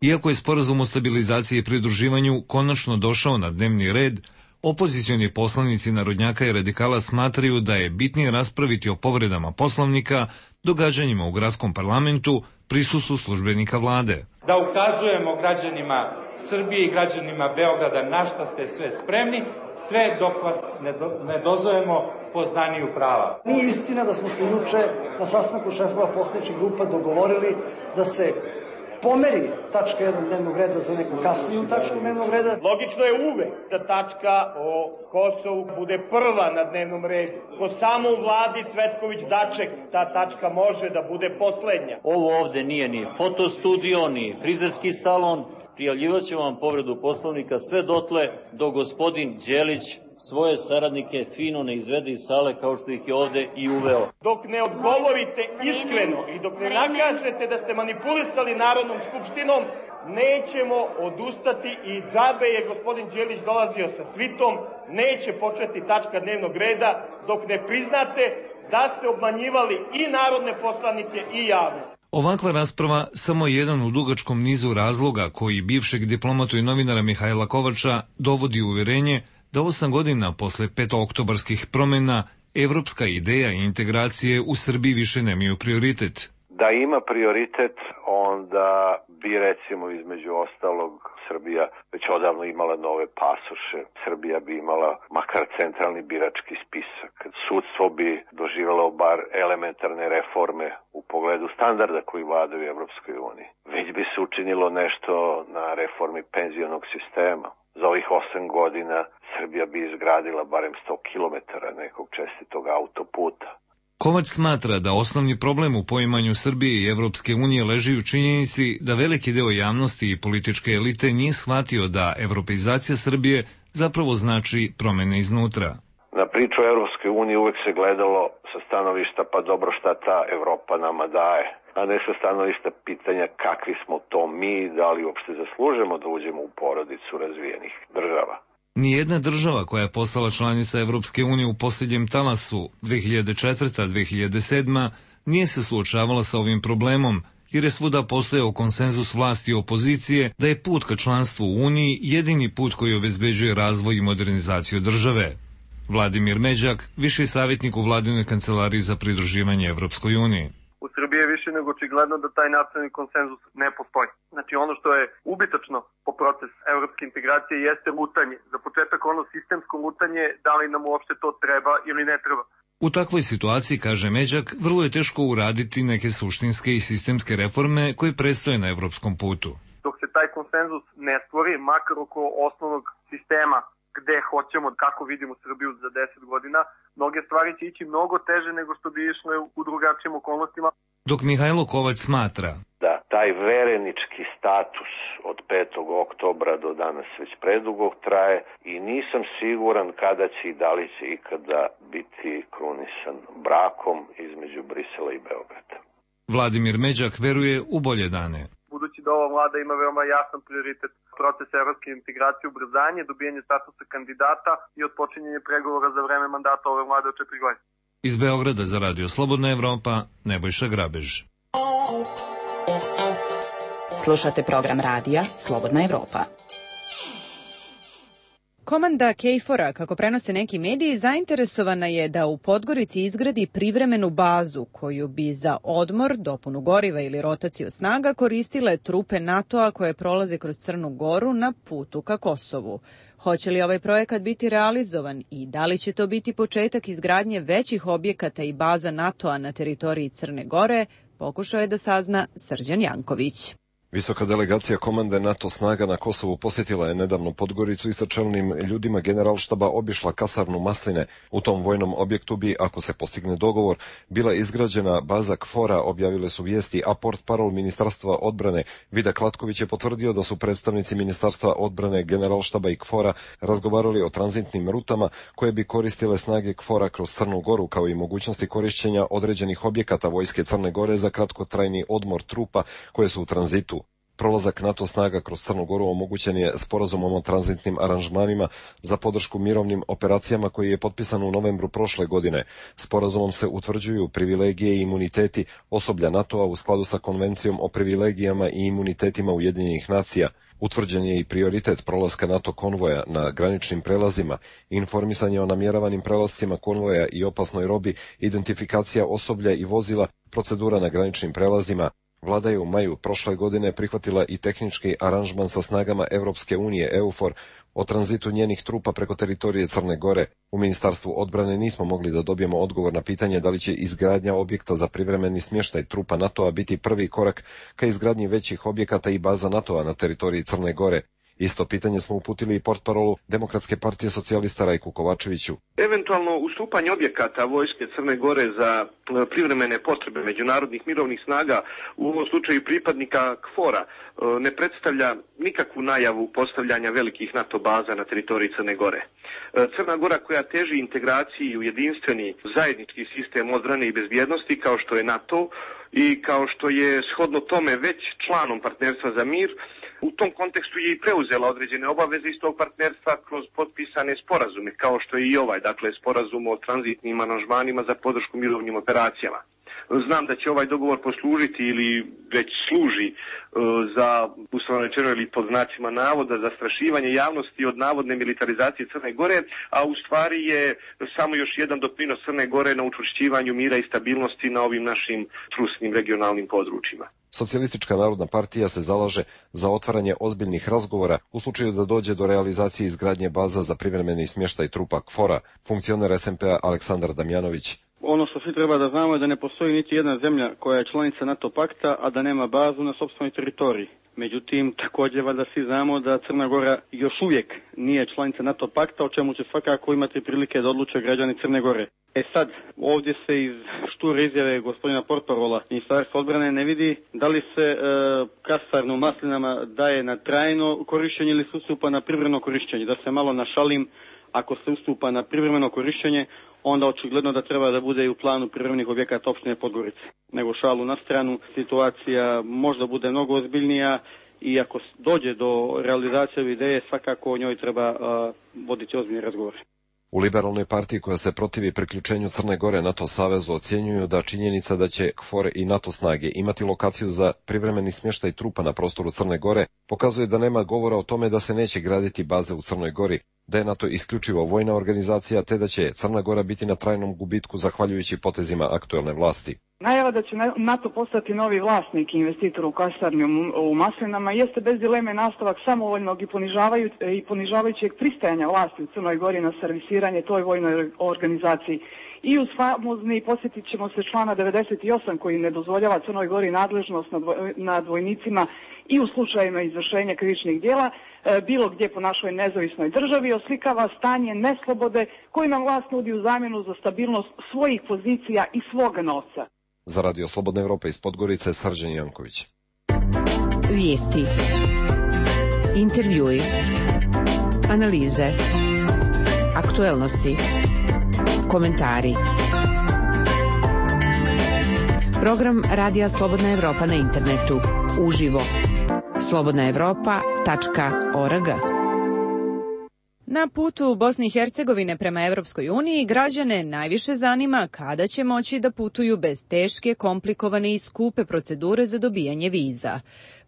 Iako je sporazum o stabilizaciji i pridruživanju konačno došao na dnevni red, opozicioni poslanici narodnjaka i radikala smatraju da je bitnije raspraviti o povredama Poslovnika, događanjima u gradskom parlamentu, prisustvu službenika vlade. Da ukazujemo građanima Srbije i građanima Beograda na šta ste sve spremni, sve dok vas ne, do, ne dozovemo poznaniju prava. Nije istina da smo se juče na sastanku šefova poslaničkih grupa dogovorili da se pomeri tačka jedan dnevnog reda za neku kasniju tačku dnevnog reda. Logično je uvek da tačka o Kosovu bude prva na dnevnom redu. Kod samo u vladi Cvetković-Daček ta tačka može da bude poslednja. Ovo ovde nije ni fotostudio, ni frizerski salon. Prijavljivat ćemo vam povredu Poslovnika sve dotle dok gospodin Đelić svoje saradnike fino ne izvede iz sale kao što ih je ovde i uveo. Dok ne odgovorite iskreno i dok ne nakažete da ste manipulisali Narodnom skupštinom, nećemo odustati i džabe je gospodin Đelić dolazio sa svitom, neće početi tačka dnevnog reda dok ne priznate da ste obmanjivali i narodne poslanike i javnost. Ovakva rasprava samo je jedan u dugačkom nizu razloga koji bivšeg diplomatu i novinara Mihajla Kovača dovodi u uvjerenje da osam godina posle petooktobarskih promjena evropska ideja i integracije u Srbiji više nemaju prioritet. Da ima prioritet, onda bi recimo između ostalog Srbija već odavno imala nove pasoše. Srbija bi imala makar centralni birački spisak. Sudstvo bi doživjelo bar elementarne reforme u pogledu standarda koji vladaju u Evropskoj uniji. Već bi se učinilo nešto na reformi penzionog sistema. Za ovih osam godina Srbija bi izgradila barem sto kilometara nekog čestitog autoputa. Kovač smatra da osnovni problem u poimanju Srbije i Evropske unije leži u činjenici da veliki deo javnosti i političke elite nije shvatio da evropeizacija Srbije zapravo znači promene iznutra. Na priču o Evropskoj uniji uvek se gledalo sa stanovišta pa dobro šta ta Evropa nama daje, a ne sa stanovišta pitanja kakvi smo to mi, da li uopšte zaslužemo da uđemo u porodicu razvijenih država. Nijedna država koja je postala članica Evropske unije u posljednjem talasu dve hiljade četvrta do dve hiljade sedma nije se suočavala sa ovim problemom, jer je svuda postojao konsenzus vlasti i opozicije da je put ka članstvu u Uniji jedini put koji obezbeđuje razvoj i modernizaciju države. Vladimir Međak, viši savjetnik u Vladinoj kancelariji za pridruživanje Evropskoj uniji. U Srbiji je više nego očigledno da taj nacionalni konsenzus ne postoji. Znači ono što je ubitačno po proces evropske integracije jeste lutanje. Za početak ono sistemsko lutanje, da li nam uopšte to treba ili ne treba. U takvoj situaciji, kaže Međak, vrlo je teško uraditi neke suštinske i sistemske reforme koje predstoje na evropskom putu. Dok se taj konsenzus ne stvori, makar oko osnovnog sistema gde hoćemo, kako vidimo Srbiju za deset godina, mnoge stvari će ići mnogo teže nego što bi išle u drugačijim okolnostima. Dok Mihajlo Kovač smatra da taj verenički status od petog oktobra do danas već predugo traje i nisam siguran kada će i da li će ikada biti krunisan brakom između Brisela i Beograda. Vladimir Međak veruje u bolje dane. Budući da ova vlada ima veoma jasan prioritet proces evropske integracije, ubrzanje, dobijanje statusa kandidata i otpočinjanje pregovora za vreme mandata ove vlade od četiri godine. Iz Beograda za Radio Slobodna Evropa, Nebojša Grabež. Slušate program radija Slobodna Evropa. Komanda KFOR-a, kako prenose neki mediji, zainteresovana je da u Podgorici izgradi privremenu bazu koju bi za odmor, dopunu goriva ili rotaciju snaga koristile trupe NATO-a koje prolaze kroz Crnu Goru na putu ka Kosovu. Hoće li ovaj projekat biti realizovan i da li će to biti početak izgradnje većih objekata i baza NATO-a na teritoriji Crne Gore, pokušao je da sazna Srđan Janković. Visoka delegacija komande NATO snaga na Kosovu posjetila je nedavno Podgoricu i sa čelnim ljudima generalštaba obišla kasarnu Masline. U tom vojnom objektu bi, ako se postigne dogovor, bila izgrađena baza KFOR-a, objavile su vijesti, a portparol Ministarstva odbrane Vida Klatković je potvrdio da su predstavnici Ministarstva odbrane generalštaba i KFOR-a razgovarali o tranzitnim rutama koje bi koristile snage KFOR-a kroz Crnu Goru, kao i mogućnosti korišćenja određenih objekata vojske Crne Gore za kratkotrajni odmor trupa koje su u tranzitu. Prolazak NATO snaga kroz Crnu Goru omogućen je sporazumom o tranzitnim aranžmanima za podršku mirovnim operacijama koji je potpisan u novembru prošle godine. Sporazumom se utvrđuju privilegije i imuniteti osoblja NATO-a u skladu sa konvencijom o privilegijama i imunitetima Ujedinjenih nacija. Utvrđen je i prioritet prolaska NATO konvoja na graničnim prelazima, informisanje o namjeravanim prelascima konvoja i opasnoj robi, identifikacija osoblja i vozila, procedura na graničnim prelazima. Vlada je u maju prošle godine prihvatila i tehnički aranžman sa snagama Evropske unije EUFOR o tranzitu njenih trupa preko teritorije Crne Gore. U Ministarstvu odbrane nismo mogli da dobijemo odgovor na pitanje da li će izgradnja objekta za privremeni smještaj trupa NATO-a biti prvi korak ka izgradnji većih objekata i baza NATO-a na teritoriji Crne Gore. Isto pitanje smo uputili i portparolu Demokratske partije socijalista Rajku Kovačeviću. Eventualno ustupanje objekata vojske Crne Gore za privremene potrebe međunarodnih mirovnih snaga, u ovom slučaju pripadnika KFOR-a, ne predstavlja nikakvu najavu postavljanja velikih NATO baza na teritoriji Crne Gore. Crna Gora, koja teži integraciji u jedinstveni zajednički sistem odbrane i bezbjednosti kao što je NATO i kao što je shodno tome već članom partnerstva za mir, u tom kontekstu je i preuzela određene obaveze iz tog partnerstva kroz potpisane sporazume, kao što je i ovaj, dakle sporazum o tranzitnim aranžmanima za podršku mirovnim operacijama. Znam da će ovaj dogovor poslužiti ili već služi za, uslovno rečeno ili pod znacima navoda, zastrašivanje javnosti od navodne militarizacije Crne Gore, a u stvari je samo još jedan doprinos Crne Gore na učvršćivanju mira i stabilnosti na ovim našim trusnim regionalnim područjima. Socijalistička narodna partija se zalaže za otvaranje ozbiljnih razgovora u slučaju da dođe do realizacije izgradnje baza za privremeni smještaj trupa KFOR-a. Funkcioner es em pe-a Aleksandar Damjanović. Ono što svi treba da znamo je da ne postoji niti jedna zemlja koja je članica NATO pakta, a da nema bazu na sopstvenoj teritoriji. Međutim, također valjda svi znamo da Crna Gora još uvijek nije članica NATO pakta, o čemu će svakako imati prilike da odluče građani Crne Gore. E sad, ovdje se iz šture izjave gospodina portparola Ministarstva odbrane ne vidi da li se e, kasarno u Maslinama daje na trajno korištenje ili se ustupa na privremeno korištenje. Da se malo našalim, ako se ustupa na privremeno korištenje, onda očigledno da treba da bude i u planu privremenih objekata opštine Podgorice. Nego šalu na stranu, situacija možda bude mnogo ozbiljnija i ako dođe do realizacije ove ideje, svakako o njoj treba uh, voditi ozbiljni razgovor. U liberalnoj partiji koja se protivi priključenju Crne Gore NATO savezu ocjenjuju da činjenica da će KFOR i NATO snage imati lokaciju za privremeni smještaj trupa na prostoru Crne Gore pokazuje da nema govora o tome da se neće graditi baze u Crnoj Gori, da je NATO isključivo vojna organizacija te da će Crna Gora biti na trajnom gubitku zahvaljujući potezima aktuelne vlasti. Najava da će NATO postati novi vlasnik i investitor u kasarni u Maslinama jeste bez dileme nastavak samovoljnog i, ponižavaju, i ponižavajućeg pristajanja vlasti u Crnoj Gori na servisiranje toj vojnoj organizaciji. I uz famozni, posjetit ćemo se člana devedeset osam koji ne dozvoljava Crnoj Gori nadležnost nad, nad vojnicima i u slučajima izvršenja krivičnih djela, e, bilo gdje po našoj nezavisnoj državi, oslikava stanje neslobode koji nam vlast nudi u zamjenu za stabilnost svojih pozicija i svoga novca. Za Radio Slobodna Evropa iz Podgorice, Srđan Janković. Vijesti, intervjui, analize, aktuelnosti, komentari. Program Radija Slobodna Evropa na internetu, uživo, slobodna evropa tačka org. Na putu Bosne i Hercegovine prema Evropskoj uniji građane najviše zanima kada će moći da putuju bez teške, komplikovane i skupe procedure za dobijanje viza.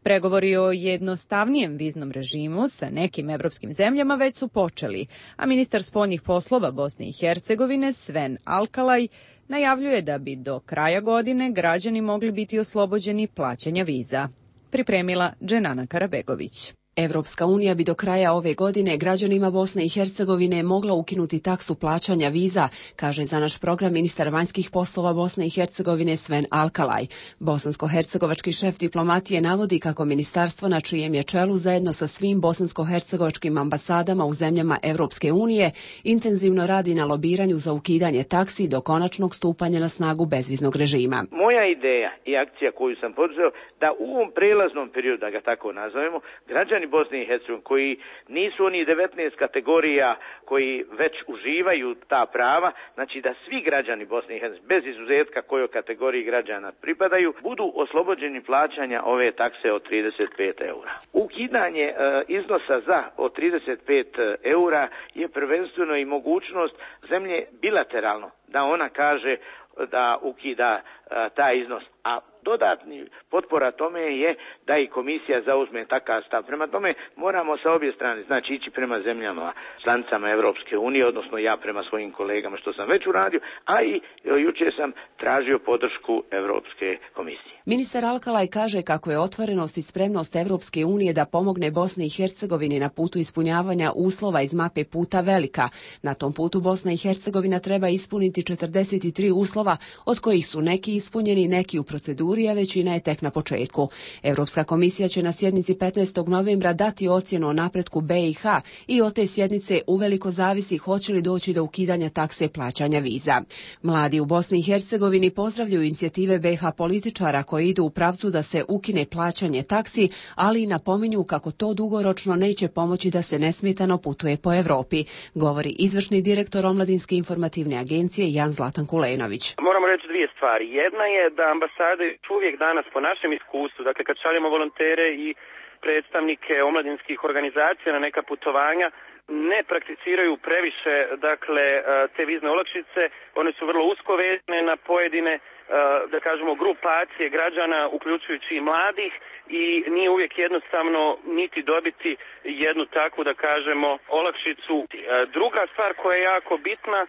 Pregovori o jednostavnijem viznom režimu sa nekim evropskim zemljama već su počeli, a ministar spoljnih poslova Bosne i Hercegovine Sven Alkalaj najavljuje da bi do kraja godine građani mogli biti oslobođeni plaćanja viza. Pripremila Dženana Karabegović. Evropska unija bi do kraja ove godine građanima Bosne i Hercegovine mogla ukinuti taksu plaćanja viza, kaže za naš program ministar vanjskih poslova Bosne i Hercegovine Sven Alkalaj. Bosansko-hercegovački šef diplomatije navodi kako ministarstvo na čijem je čelu zajedno sa svim bosansko-hercegovačkim ambasadama u zemljama Evropske unije intenzivno radi na lobiranju za ukidanje taksi do konačnog stupanja na snagu bezviznog režima. Moja ideja i akcija koju sam poduzeo da u ovom prelaznom periodu, da ga tako nazovemo, građani Bosne i Hercegovine koji nisu oni devetnaest kategorija koji već uživaju ta prava, znači da svi građani Bosne i Hercegovine bez izuzetka kojoj kategoriji građana pripadaju budu oslobođeni plaćanja ove takse od trideset pet eura. Ukidanje e, iznosa za od trideset pet eura je prvenstveno i mogućnost zemlje bilateralno da ona kaže da ukida e, taj iznos, a dodatni potpora tome je da i komisija zauzme takav stav. Prema tome moramo sa obje strane, znači ići prema zemljama članicama Evropske unije, odnosno ja prema svojim kolegama što sam već uradio, a i jučer sam tražio podršku Evropske komisije. Ministar Alkalaj kaže kako je otvorenost i spremnost Evropske unije da pomogne Bosni i Hercegovini na putu ispunjavanja uslova iz mape puta velika. Na tom putu Bosna i Hercegovina treba ispuniti četrdeset tri uslova, od kojih su neki ispunjeni, neki u proceduri, a većina je tek na početku. Europska komisija će na sjednici petnaestog novembra dati ocjenu o napretku B i H i od te sjednice uveliko zavisi hoće li doći do ukidanja takse plaćanja viza. Mladi u Bosni i Hercegovini pozdravljaju inicijative B H političara koji idu u pravcu da se ukine plaćanje taksi, ali i napominju kako to dugoročno neće pomoći da se nesmetano putuje po Evropi, govori izvršni direktor Omladinske informativne agencije Jan Zlatan Kulenović. Moramo reći dvije stvari. Jedna je da ambasade uvijek danas po našem iskustvu, dakle kad šaljemo volontere i predstavnike omladinskih organizacija na neka putovanja, ne prakticiraju previše, dakle, te vizne olakšice. One su vrlo usko vezane na pojedine, da kažemo, grupacije građana, uključujući i mladih, i nije uvijek jednostavno niti dobiti jednu takvu, da kažemo, olakšicu. Druga stvar koja je jako bitna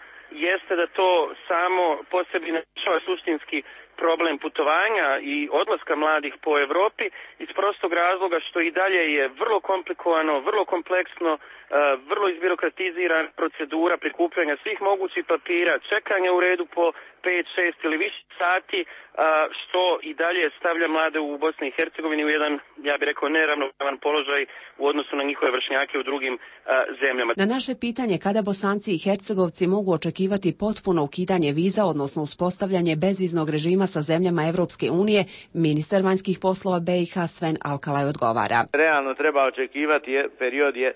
jeste da to samo po sebi ne rješava suštinski problem putovanja i odlaska mladih po Europi, iz prostog razloga što i dalje je vrlo komplikovano, vrlo kompleksno, vrlo izbirokratizirana procedura prikupljanja svih mogućih papira, čekanja u redu po pet, šest ili više sati, što i dalje stavlja mlade u Bosni i Hercegovini u jedan, ja bih rekao, neravnopravan položaj u odnosu na njihove vršnjake u drugim zemljama. Na naše pitanje kada Bosanci i Hercegovci mogu očekivati potpuno ukidanje viza, odnosno uspostavljanje bezviznog režima sa zemljama Evropske unije, ministar vanjskih poslova B i H Sven Alkalaj odgovara. Realno treba očekivati period je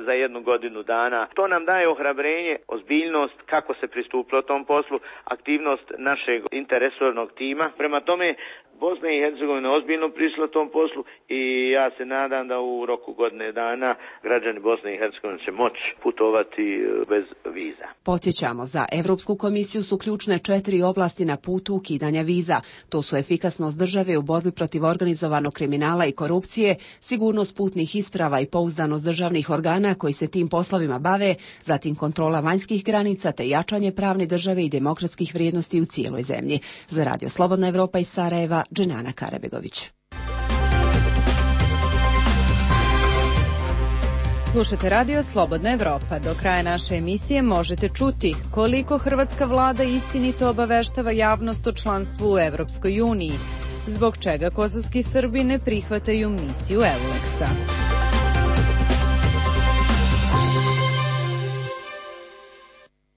za jednu godinu dana. To nam daje ohrabrenje, ozbiljnost kako se pristupilo tom poslu, aktivnost našeg interresornog tima. Prema tome, Bosna i Hercegovina ozbiljno prišla tom poslu i ja se nadam da u roku godine dana građani Bosne i Hercegovine će moći putovati bez viza. Podsjećamo, za Evropsku komisiju su ključne četiri oblasti na putu ukidanja viza. To su efikasnost države u borbi protiv organizovanog kriminala i korupcije, sigurnost putnih isprava i pouzdanost državnih organa koji se tim poslovima bave, zatim kontrola vanjskih granica te jačanje pravne države i demokratskih vrijednosti u cijeloj zemlji. Za Radio Slobodna Evropa iz Sarajeva, Dženana Karabegović. Slušate Radio Slobodna Evropa. Do kraja naše emisije možete čuti koliko hrvatska vlada istinito obaveštava javnost o članstvu u Evropskoj uniji, zbog čega kosovski Srbi ne prihvataju misiju Euleksa.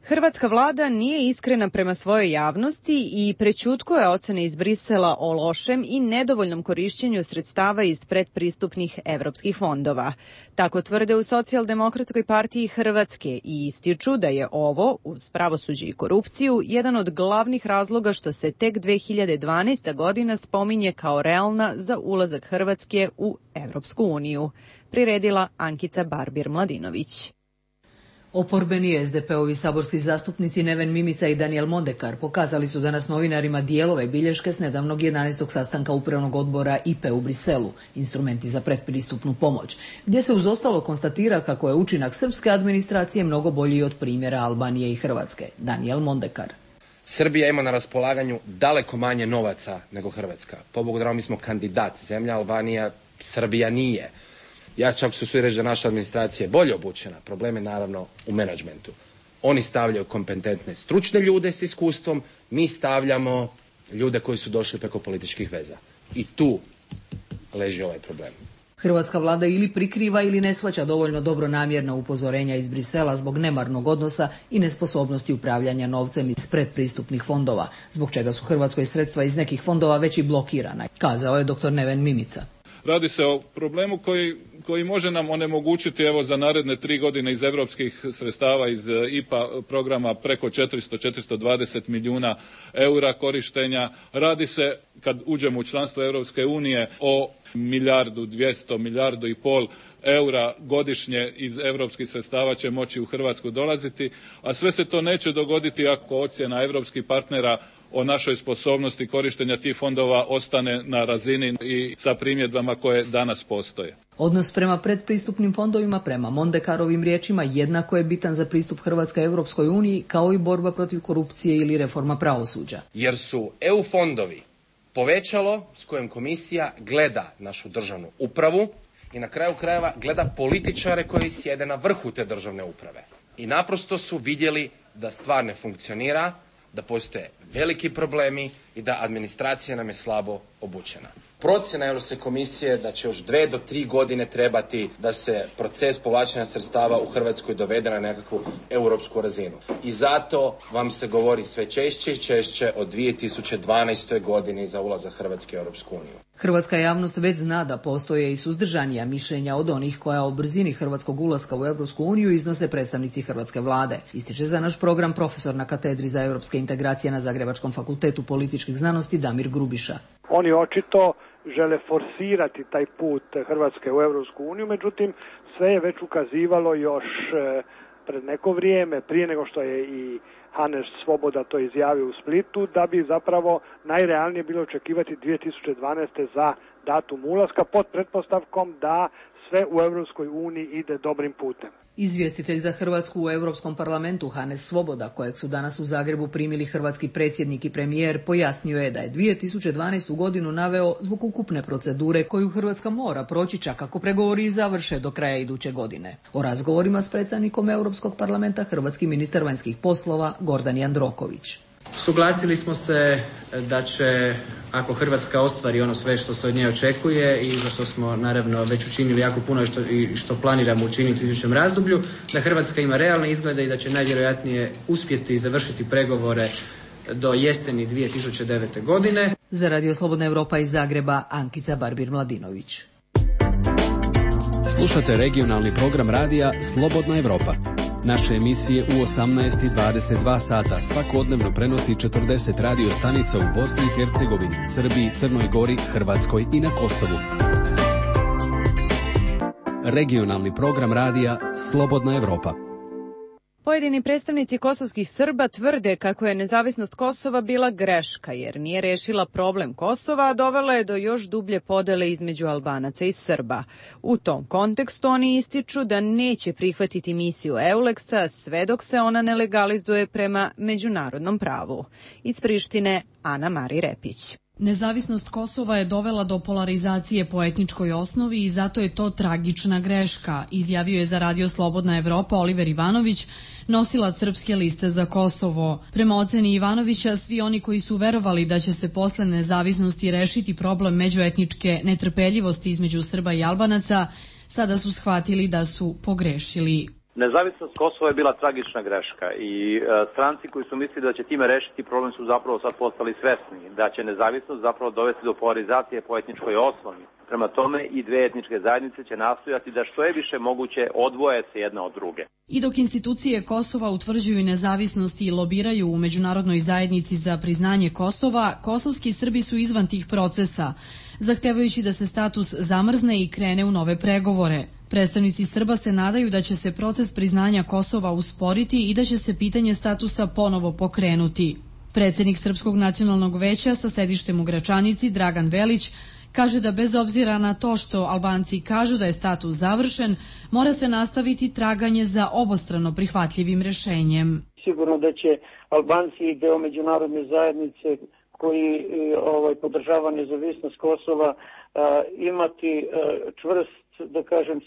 Hrvatska vlada nije iskrena prema svojoj javnosti i prećutkuje ocene iz Brisela o lošem i nedovoljnom korišćenju sredstava iz predpristupnih evropskih fondova. Tako tvrde u Socijaldemokratskoj partiji Hrvatske i ističu da je ovo, uz pravosuđe i korupciju, jedan od glavnih razloga što se tek dve hiljade dvanaesta. godina spominje kao realna za ulazak Hrvatske u Evropsku uniju. Priredila Ankica Barbir-Mladinović. Oporbeni es de pe-ovi saborski zastupnici Neven Mimica i Danijel Mondekar pokazali su danas novinarima dijelove bilješke s nedavnog jedanaestog sastanka Upravnog odbora I P E u Briselu, instrumenti za predpristupnu pomoć, gdje se uz ostalo konstatira kako je učinak srpske administracije mnogo bolji od primjera Albanije i Hrvatske. Danijel Mondekar. Srbija ima na raspolaganju daleko manje novaca nego Hrvatska. Pobogu dragom, mi smo kandidat zemlja, Albanija, Srbija nije. Ja čak su svi reći da naša administracija je bolje obučena. Problem je naravno u menadžmentu. Oni stavljaju kompetentne stručne ljude s iskustvom, mi stavljamo ljude koji su došli preko političkih veza. I tu leži ovaj problem. Hrvatska vlada ili prikriva ili ne shvaća dovoljno dobronamjerna upozorenja iz Brisela zbog nemarnog odnosa i nesposobnosti upravljanja novcem iz predpristupnih fondova, zbog čega su Hrvatskoj sredstva iz nekih fondova već i blokirana, kazao je doktor Neven Mimica. Radi se o problemu koji, koji može nam onemogućiti evo za naredne tri godine iz europskih sredstava iz I P A programa preko četiristo do četiristo dvadeset milijuna eura korištenja. Radi se, kad uđemo u članstvo Europske unije, o milijardu dvjesto, milijardu i pol eura godišnje iz europskih sredstava će moći u Hrvatsku dolaziti, a sve se to neće dogoditi ako ocjena europskih partnera o našoj sposobnosti korištenja tih fondova ostane na razini i sa primjedbama koje danas postoje. Odnos prema predpristupnim fondovima, prema Mondekarovim riječima, jednako je bitan za pristup Hrvatske Europskoj uniji kao i borba protiv korupcije ili reforma pravosuđa. Jer su E U fondovi povećalo s kojim komisija gleda našu državnu upravu i na kraju krajeva gleda političare koji sjede na vrhu te državne uprave. I naprosto su vidjeli da stvar ne funkcionira, da postoje veliki problemi i da administracija nam je slabo obučena. Procjena Europske komisije da će još dve do tri godine trebati da se proces povlačenja sredstava u Hrvatskoj dovede na nekakvu europsku razinu. I zato vam se govori sve češće i češće o dvije tisuće dvanaestoj. godini za ulazak Hrvatske u Europsku uniju. Hrvatska javnost već zna da postoje i suzdržanija mišljenja od onih koja o brzini hrvatskog ulaska u Europsku uniju iznose predstavnici hrvatske vlade. Ističe za naš program profesor na katedri za europske integracije na Zagrebačkom fakultetu političkih znanosti Damir Grubiša. Oni očito žele forsirati taj put Hrvatske u Europsku uniju, međutim sve je već ukazivalo još pred neko vrijeme, prije nego što je i Hannes Svoboda to izjavio u Splitu, da bi zapravo najrealnije bilo očekivati dvije tisuće dvanaeste za datum ulaska pod pretpostavkom da sve u Europskoj uniji ide dobrim putem. Izvjestitelj za Hrvatsku u Europskom parlamentu Hannes Svoboda, kojeg su danas u Zagrebu primili hrvatski predsjednik i premijer, pojasnio je da je dvije tisuće dvanaestu godinu naveo zbog ukupne procedure koju Hrvatska mora proći čak ako pregovori završe do kraja iduće godine. O razgovorima s predstavnikom Europskog parlamenta hrvatski ministar vanjskih poslova Gordan Jandroković. Suglasili smo se da će, ako Hrvatska ostvari ono sve što se od nje očekuje i za što smo naravno već učinili jako puno i što, i što planiramo učiniti u idućem razdoblju, da Hrvatska ima realne izglede i da će najvjerojatnije uspjeti završiti pregovore do jeseni dvije tisuće devete. godine. Za Radio Slobodna Europa iz Zagreba, Ankica Barbir-Mladinović. Slušate regionalni program radija Slobodna Europa. Naše emisije u osamnaest i dvadeset dva sata svakodnevno prenosi četrdeset radio stanica u Bosni i Hercegovini, Srbiji, Crnoj Gori, Hrvatskoj i na Kosovu. Regionalni program radija Slobodna Europa. Pojedini predstavnici kosovskih Srba tvrde kako je nezavisnost Kosova bila greška jer nije rešila problem Kosova, a dovela je do još dublje podele između Albanaca i Srba. U tom kontekstu oni ističu da neće prihvatiti misiju Euleksa sve dok se ona ne legalizuje prema međunarodnom pravu. Iz Prištine, Ana Mari Repić. Nezavisnost Kosova je dovela do polarizacije po etničkoj osnovi i zato je to tragična greška, izjavio je za Radio Slobodna Evropa Oliver Ivanović, nosilac Srpske liste za Kosovo. Prema oceni Ivanovića, svi oni koji su verovali da će se posle nezavisnosti rešiti problem međuetničke netrpeljivosti između Srba i Albanaca, sada su shvatili da su pogrešili. Nezavisnost Kosova je bila tragična greška i e, stranci koji su mislili da će time rešiti problem su zapravo sad postali svesni da će nezavisnost zapravo dovesti do polarizacije po etničkoj osnovi. Prema tome i dve etničke zajednice će nastojati da što je više moguće odvoje se jedna od druge. I dok institucije Kosova utvrđuju nezavisnost i lobiraju u međunarodnoj zajednici za priznanje Kosova, kosovski Srbi su izvan tih procesa, zahtevajući da se status zamrzne i krene u nove pregovore. Predstavnici Srba se nadaju da će se proces priznanja Kosova usporiti i da će se pitanje statusa ponovo pokrenuti. Predsjednik Srpskog nacionalnog veća sa sedištem u Gračanici, Dragan Velić, kaže da bez obzira na to što Albanci kažu da je status završen, mora se nastaviti traganje za obostrano prihvatljivim rešenjem. Sigurno da će Albanci i deo međunarodne zajednice koji ovaj, podržava nezavisnost Kosova a, imati a, čvrst, da kažem,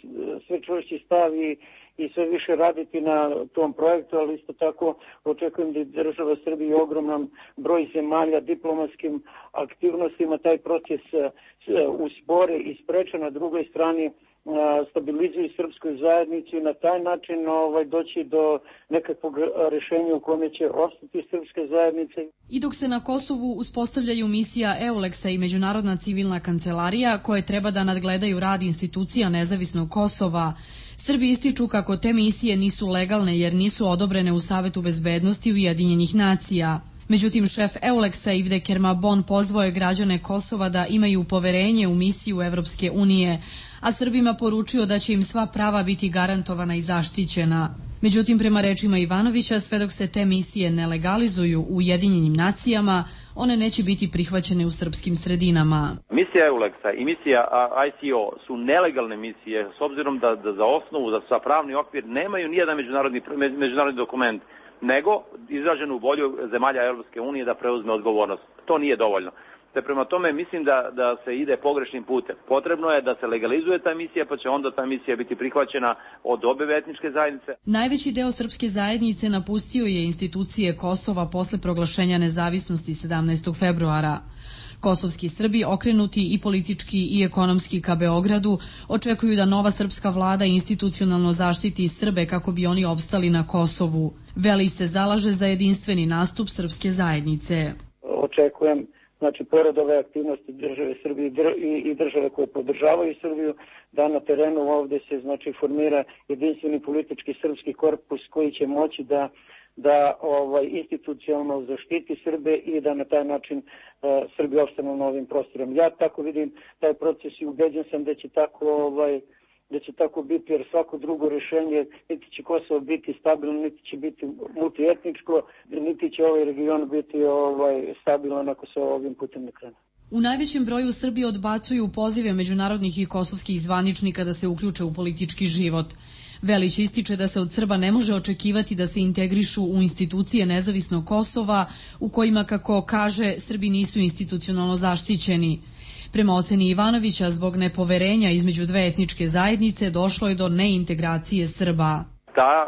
sve čvršći stav i, i sve više raditi na tom projektu, ali isto tako očekujem da država Srbije ogroman broj zemalja diplomatskim aktivnostima taj proces uspore i spreče, na drugoj strani stabilizuju srpsku zajednicu i na taj način ovaj, doći do nekakvog rešenja u kome će ostati srpske zajednice. I dok se na Kosovu uspostavljaju misija Euleksa i Međunarodna civilna kancelarija koje treba da nadgledaju rad institucija nezavisnog Kosova, Srbi ističu kako te misije nisu legalne jer nisu odobrene u Savetu bezbednosti Ujedinjenih nacija. Međutim, šef Euleksa Ivde Kermabon pozvao je građane Kosova da imaju poverenje u misiju Evropske unije, a Srbima poručio da će im sva prava biti garantovana i zaštićena. Međutim, prema rečima Ivanovića, sve dok se te misije ne legalizuju u Ujedinjenim nacijama, one neće biti prihvaćene u srpskim sredinama. Misija Euleksa i misija I C O su nelegalne misije s obzirom da, da za osnovu, da sa pravni okvir nemaju nijedan međunarodni, međunarodni dokument, nego izraženu volju zemalja Europske unije da preuzme odgovornost. To nije dovoljno. Te prema tome mislim da, da se ide pogrešnim putem. Potrebno je da se legalizuje ta misija, pa će onda ta misija biti prihvaćena od obe etničke zajednice. Najveći deo srpske zajednice napustio je institucije Kosova posle proglašenja nezavisnosti sedamnaestog februara. Kosovski Srbi, okrenuti i politički i ekonomski ka Beogradu, očekuju da nova srpska vlada institucionalno zaštiti Srbe kako bi oni opstali na Kosovu. Velić se zalaže za jedinstveni nastup srpske zajednice. Očekujem, znači, pored ove aktivnosti države Srbije i države koje podržavaju Srbiju, da na terenu ovdje se, znači, formira jedinstveni politički srpski korpus koji će moći da da ovaj, institucionalno zaštiti Srbe i da na taj način uh, Srbi opstanu na ovim prostorom. Ja tako vidim taj proces i ubeđen sam da će tako ovaj, da će tako biti, jer svako drugo rješenje, niti će Kosovo biti stabilno, niti će biti multietničko, niti će ovaj region biti ovaj, stabilan ako se ovim putem ne krene. U najvećem broju Srbi odbacuju pozive međunarodnih i kosovskih zvaničnika da se uključe u politički život. Velić ističe da se od Srba ne može očekivati da se integrišu u institucije nezavisnog Kosova, u kojima, kako kaže, Srbi nisu institucionalno zaštićeni. Prema oceni Ivanovića, zbog nepoverenja između dve etničke zajednice došlo je do neintegracije Srba. Ta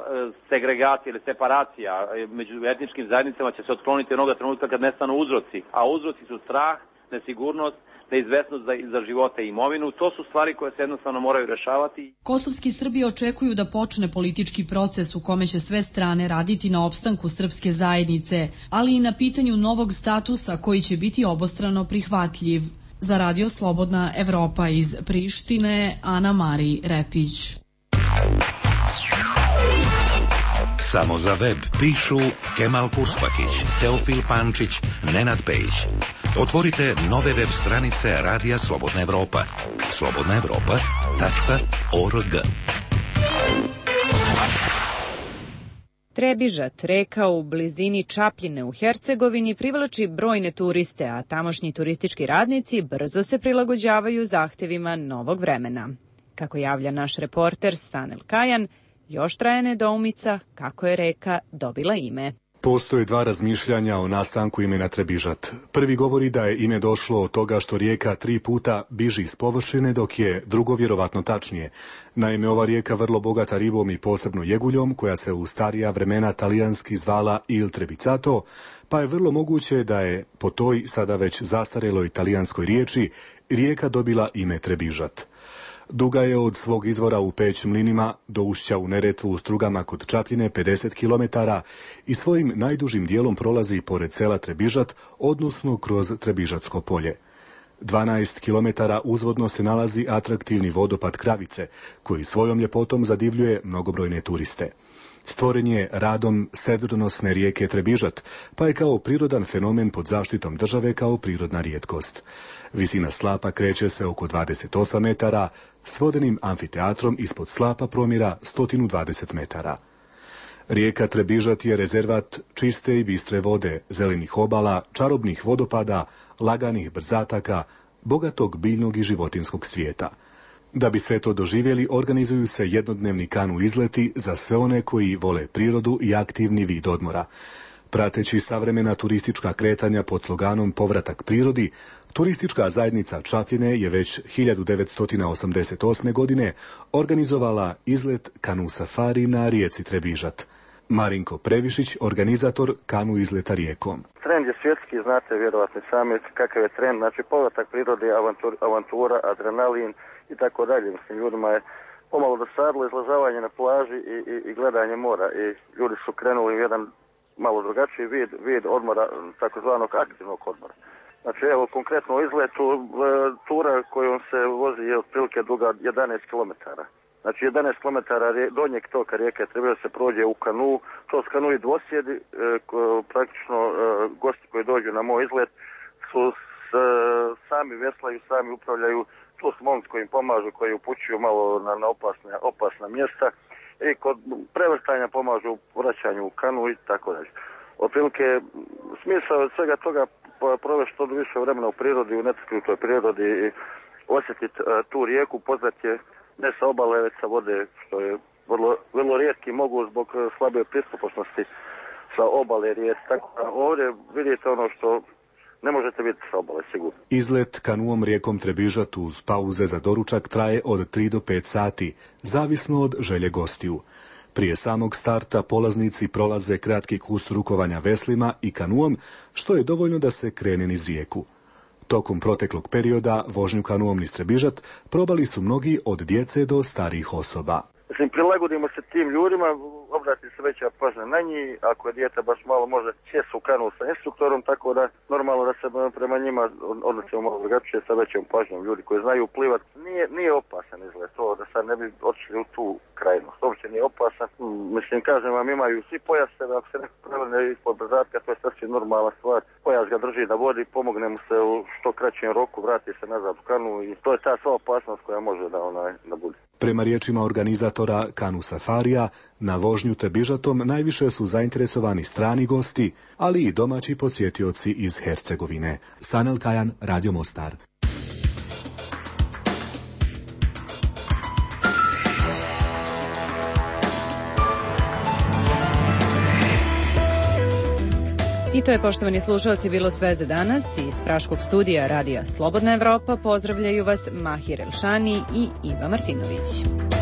segregacija ili separacija među etničkim zajednicama će se otkloniti onoga trenutka kad nestanu uzroci, a uzroci su strah, nesigurnost, neizvesnost za, za živote i imovinu. To su stvari koje se jednostavno moraju rešavati. Kosovski Srbi očekuju da počne politički proces u kome će sve strane raditi na opstanku srpske zajednice, ali i na pitanju novog statusa koji će biti obostrano prihvatljiv. Za Radio Slobodna Evropa iz Prištine, Ana Mari Repić. Samo za web pišu Kemal Kuspahić, Teofil Pančić, Nenad Pejić. Otvorite nove web stranice Radija Slobodna Evropa. slobodna evropa tačka org. Trebižat, reka u blizini Čapljine u Hercegovini, privlači brojne turiste, a tamošnji turistički radnici brzo se prilagođavaju zahtevima novog vremena. Kako javlja naš reporter Sanel Kajan, još traje nedoumica kako je reka dobila ime. Postoje dva razmišljanja o nastanku imena Trebižat. Prvi govori da je ime došlo od toga što rijeka tri puta biži iz površine, dok je drugo vjerovatno tačnije. Naime, ova rijeka vrlo bogata ribom i posebno jeguljom, koja se u starija vremena talijanski zvala Il Trebicato, pa je vrlo moguće da je po toj sada već zastareloj talijanskoj riječi rijeka dobila ime Trebižat. Duga je od svog izvora u Peć mlinima do ušća u Neretvu u Strugama kod Čapljine pedeset kilometara i svojim najdužim dijelom prolazi pored sela Trebižat, odnosno kroz Trebižatsko polje. dvanaest kilometara uzvodno se nalazi atraktivni vodopad Kravice, koji svojom ljepotom zadivljuje mnogobrojne turiste. Stvoren je radom sedronosne rijeke Trebižat, pa je kao prirodan fenomen pod zaštitom države kao prirodna rijetkost. Visina slapa kreće se oko dvadeset osam metara, s vodenim amfiteatrom ispod slapa promjera sto dvadeset metara. Rijeka Trebižat je rezervat čiste i bistre vode, zelenih obala, čarobnih vodopada, laganih brzataka, bogatog biljnog i životinskog svijeta. Da bi sve to doživjeli, organizuju se jednodnevni kanu izleti za sve one koji vole prirodu i aktivni vid odmora. Prateći savremena turistička kretanja pod sloganom Povratak prirodi, turistička zajednica Čapljine je već hiljadu devetsto osamdeset osme. godine organizovala izlet kanu safari na rijeci Trebižat. Marinko Previšić, organizator kanu izleta rijekom. Trend je svjetski, znate vjerovatno sami kakav je trend, znači povratak prirode, avantur, avantura, adrenalin i tako dalje. Mislim, ljudima je pomalo dosadilo izlažavanje na plaži i, i, i gledanje mora i ljudi su krenuli u jedan malo drugačiji vid, vid odmora, takozvanog aktivnog odmora. Znači evo konkretno u izletu tura kojom se vozi je otprilike duga jedanaest kilometara. Znači jedanaest kilometara donjeg toka rijeke treba da se prođe u kanu, to su kanu i dvosjedi, e, ko, praktično e, gosti koji dođu na moj izlet su s, e, sami veslaju, sami upravljaju, tu su momci koji im pomažu, koji upućuju malo na, na opasne, opasna mjesta i kod prevrtanja pomažu u vraćanju u kanu i tako dalje. Otprilike smisao od svega toga provesti što više vremena u prirodi, u netaknutoj prirodi i osjetiti uh, tu rijeku, poznati je ne sa obale, već sa vode, što je vrlo, vrlo rijetki mogu zbog slabe pristupačnosti sa obale rijeke. Tako da ovdje vidite ono što ne možete vidjeti sa obale, sigurno. Izlet kanuom rijekom Trebižat uz pauze za doručak traje od tri do pet sati, zavisno od želje gostiju. Prije samog starta polaznici prolaze kratki kurs rukovanja veslima i kanuom, što je dovoljno da se krene niz rijeku. Tokom proteklog perioda vožnju kanuom niz Trebižat probali su mnogi od djece do starijih osoba. Mislim, prilagodimo se tim ljudima, obrati se veća pažnja na njih, ako je dijete baš malo može sjesti u kanu sa instruktorom, tako da normalno da se prema njima odnosimo malo drugačije sa većom pažnjom. Ljudi koji znaju plivat, nije, nije opasan izgled to, da sad ne bi otišli u tu krajnost. Uopće nije opasan. Mislim, kažem vam, imaju svi pojaseve, ako se neko prevrne ispod brzatka, to je sasvim normalna stvar. Pojas ga drži na vodi, pomogne mu se u što kraćem roku, vrati se nazad u kanu i to je ta sva opasnost koja može da, onaj, da bude. Prema riječima organizatora Kanu Safarija, na vožnju Trebižatom najviše su zainteresovani strani gosti, ali i domaći posjetioci iz Hercegovine. Sanel Kajan, Radio Mostar. I to je, poštovani slušalci, bilo sve za danas. Iz Praškog studija Radija Slobodna Evropa pozdravljaju vas Mahir Elšani i Iva Martinović.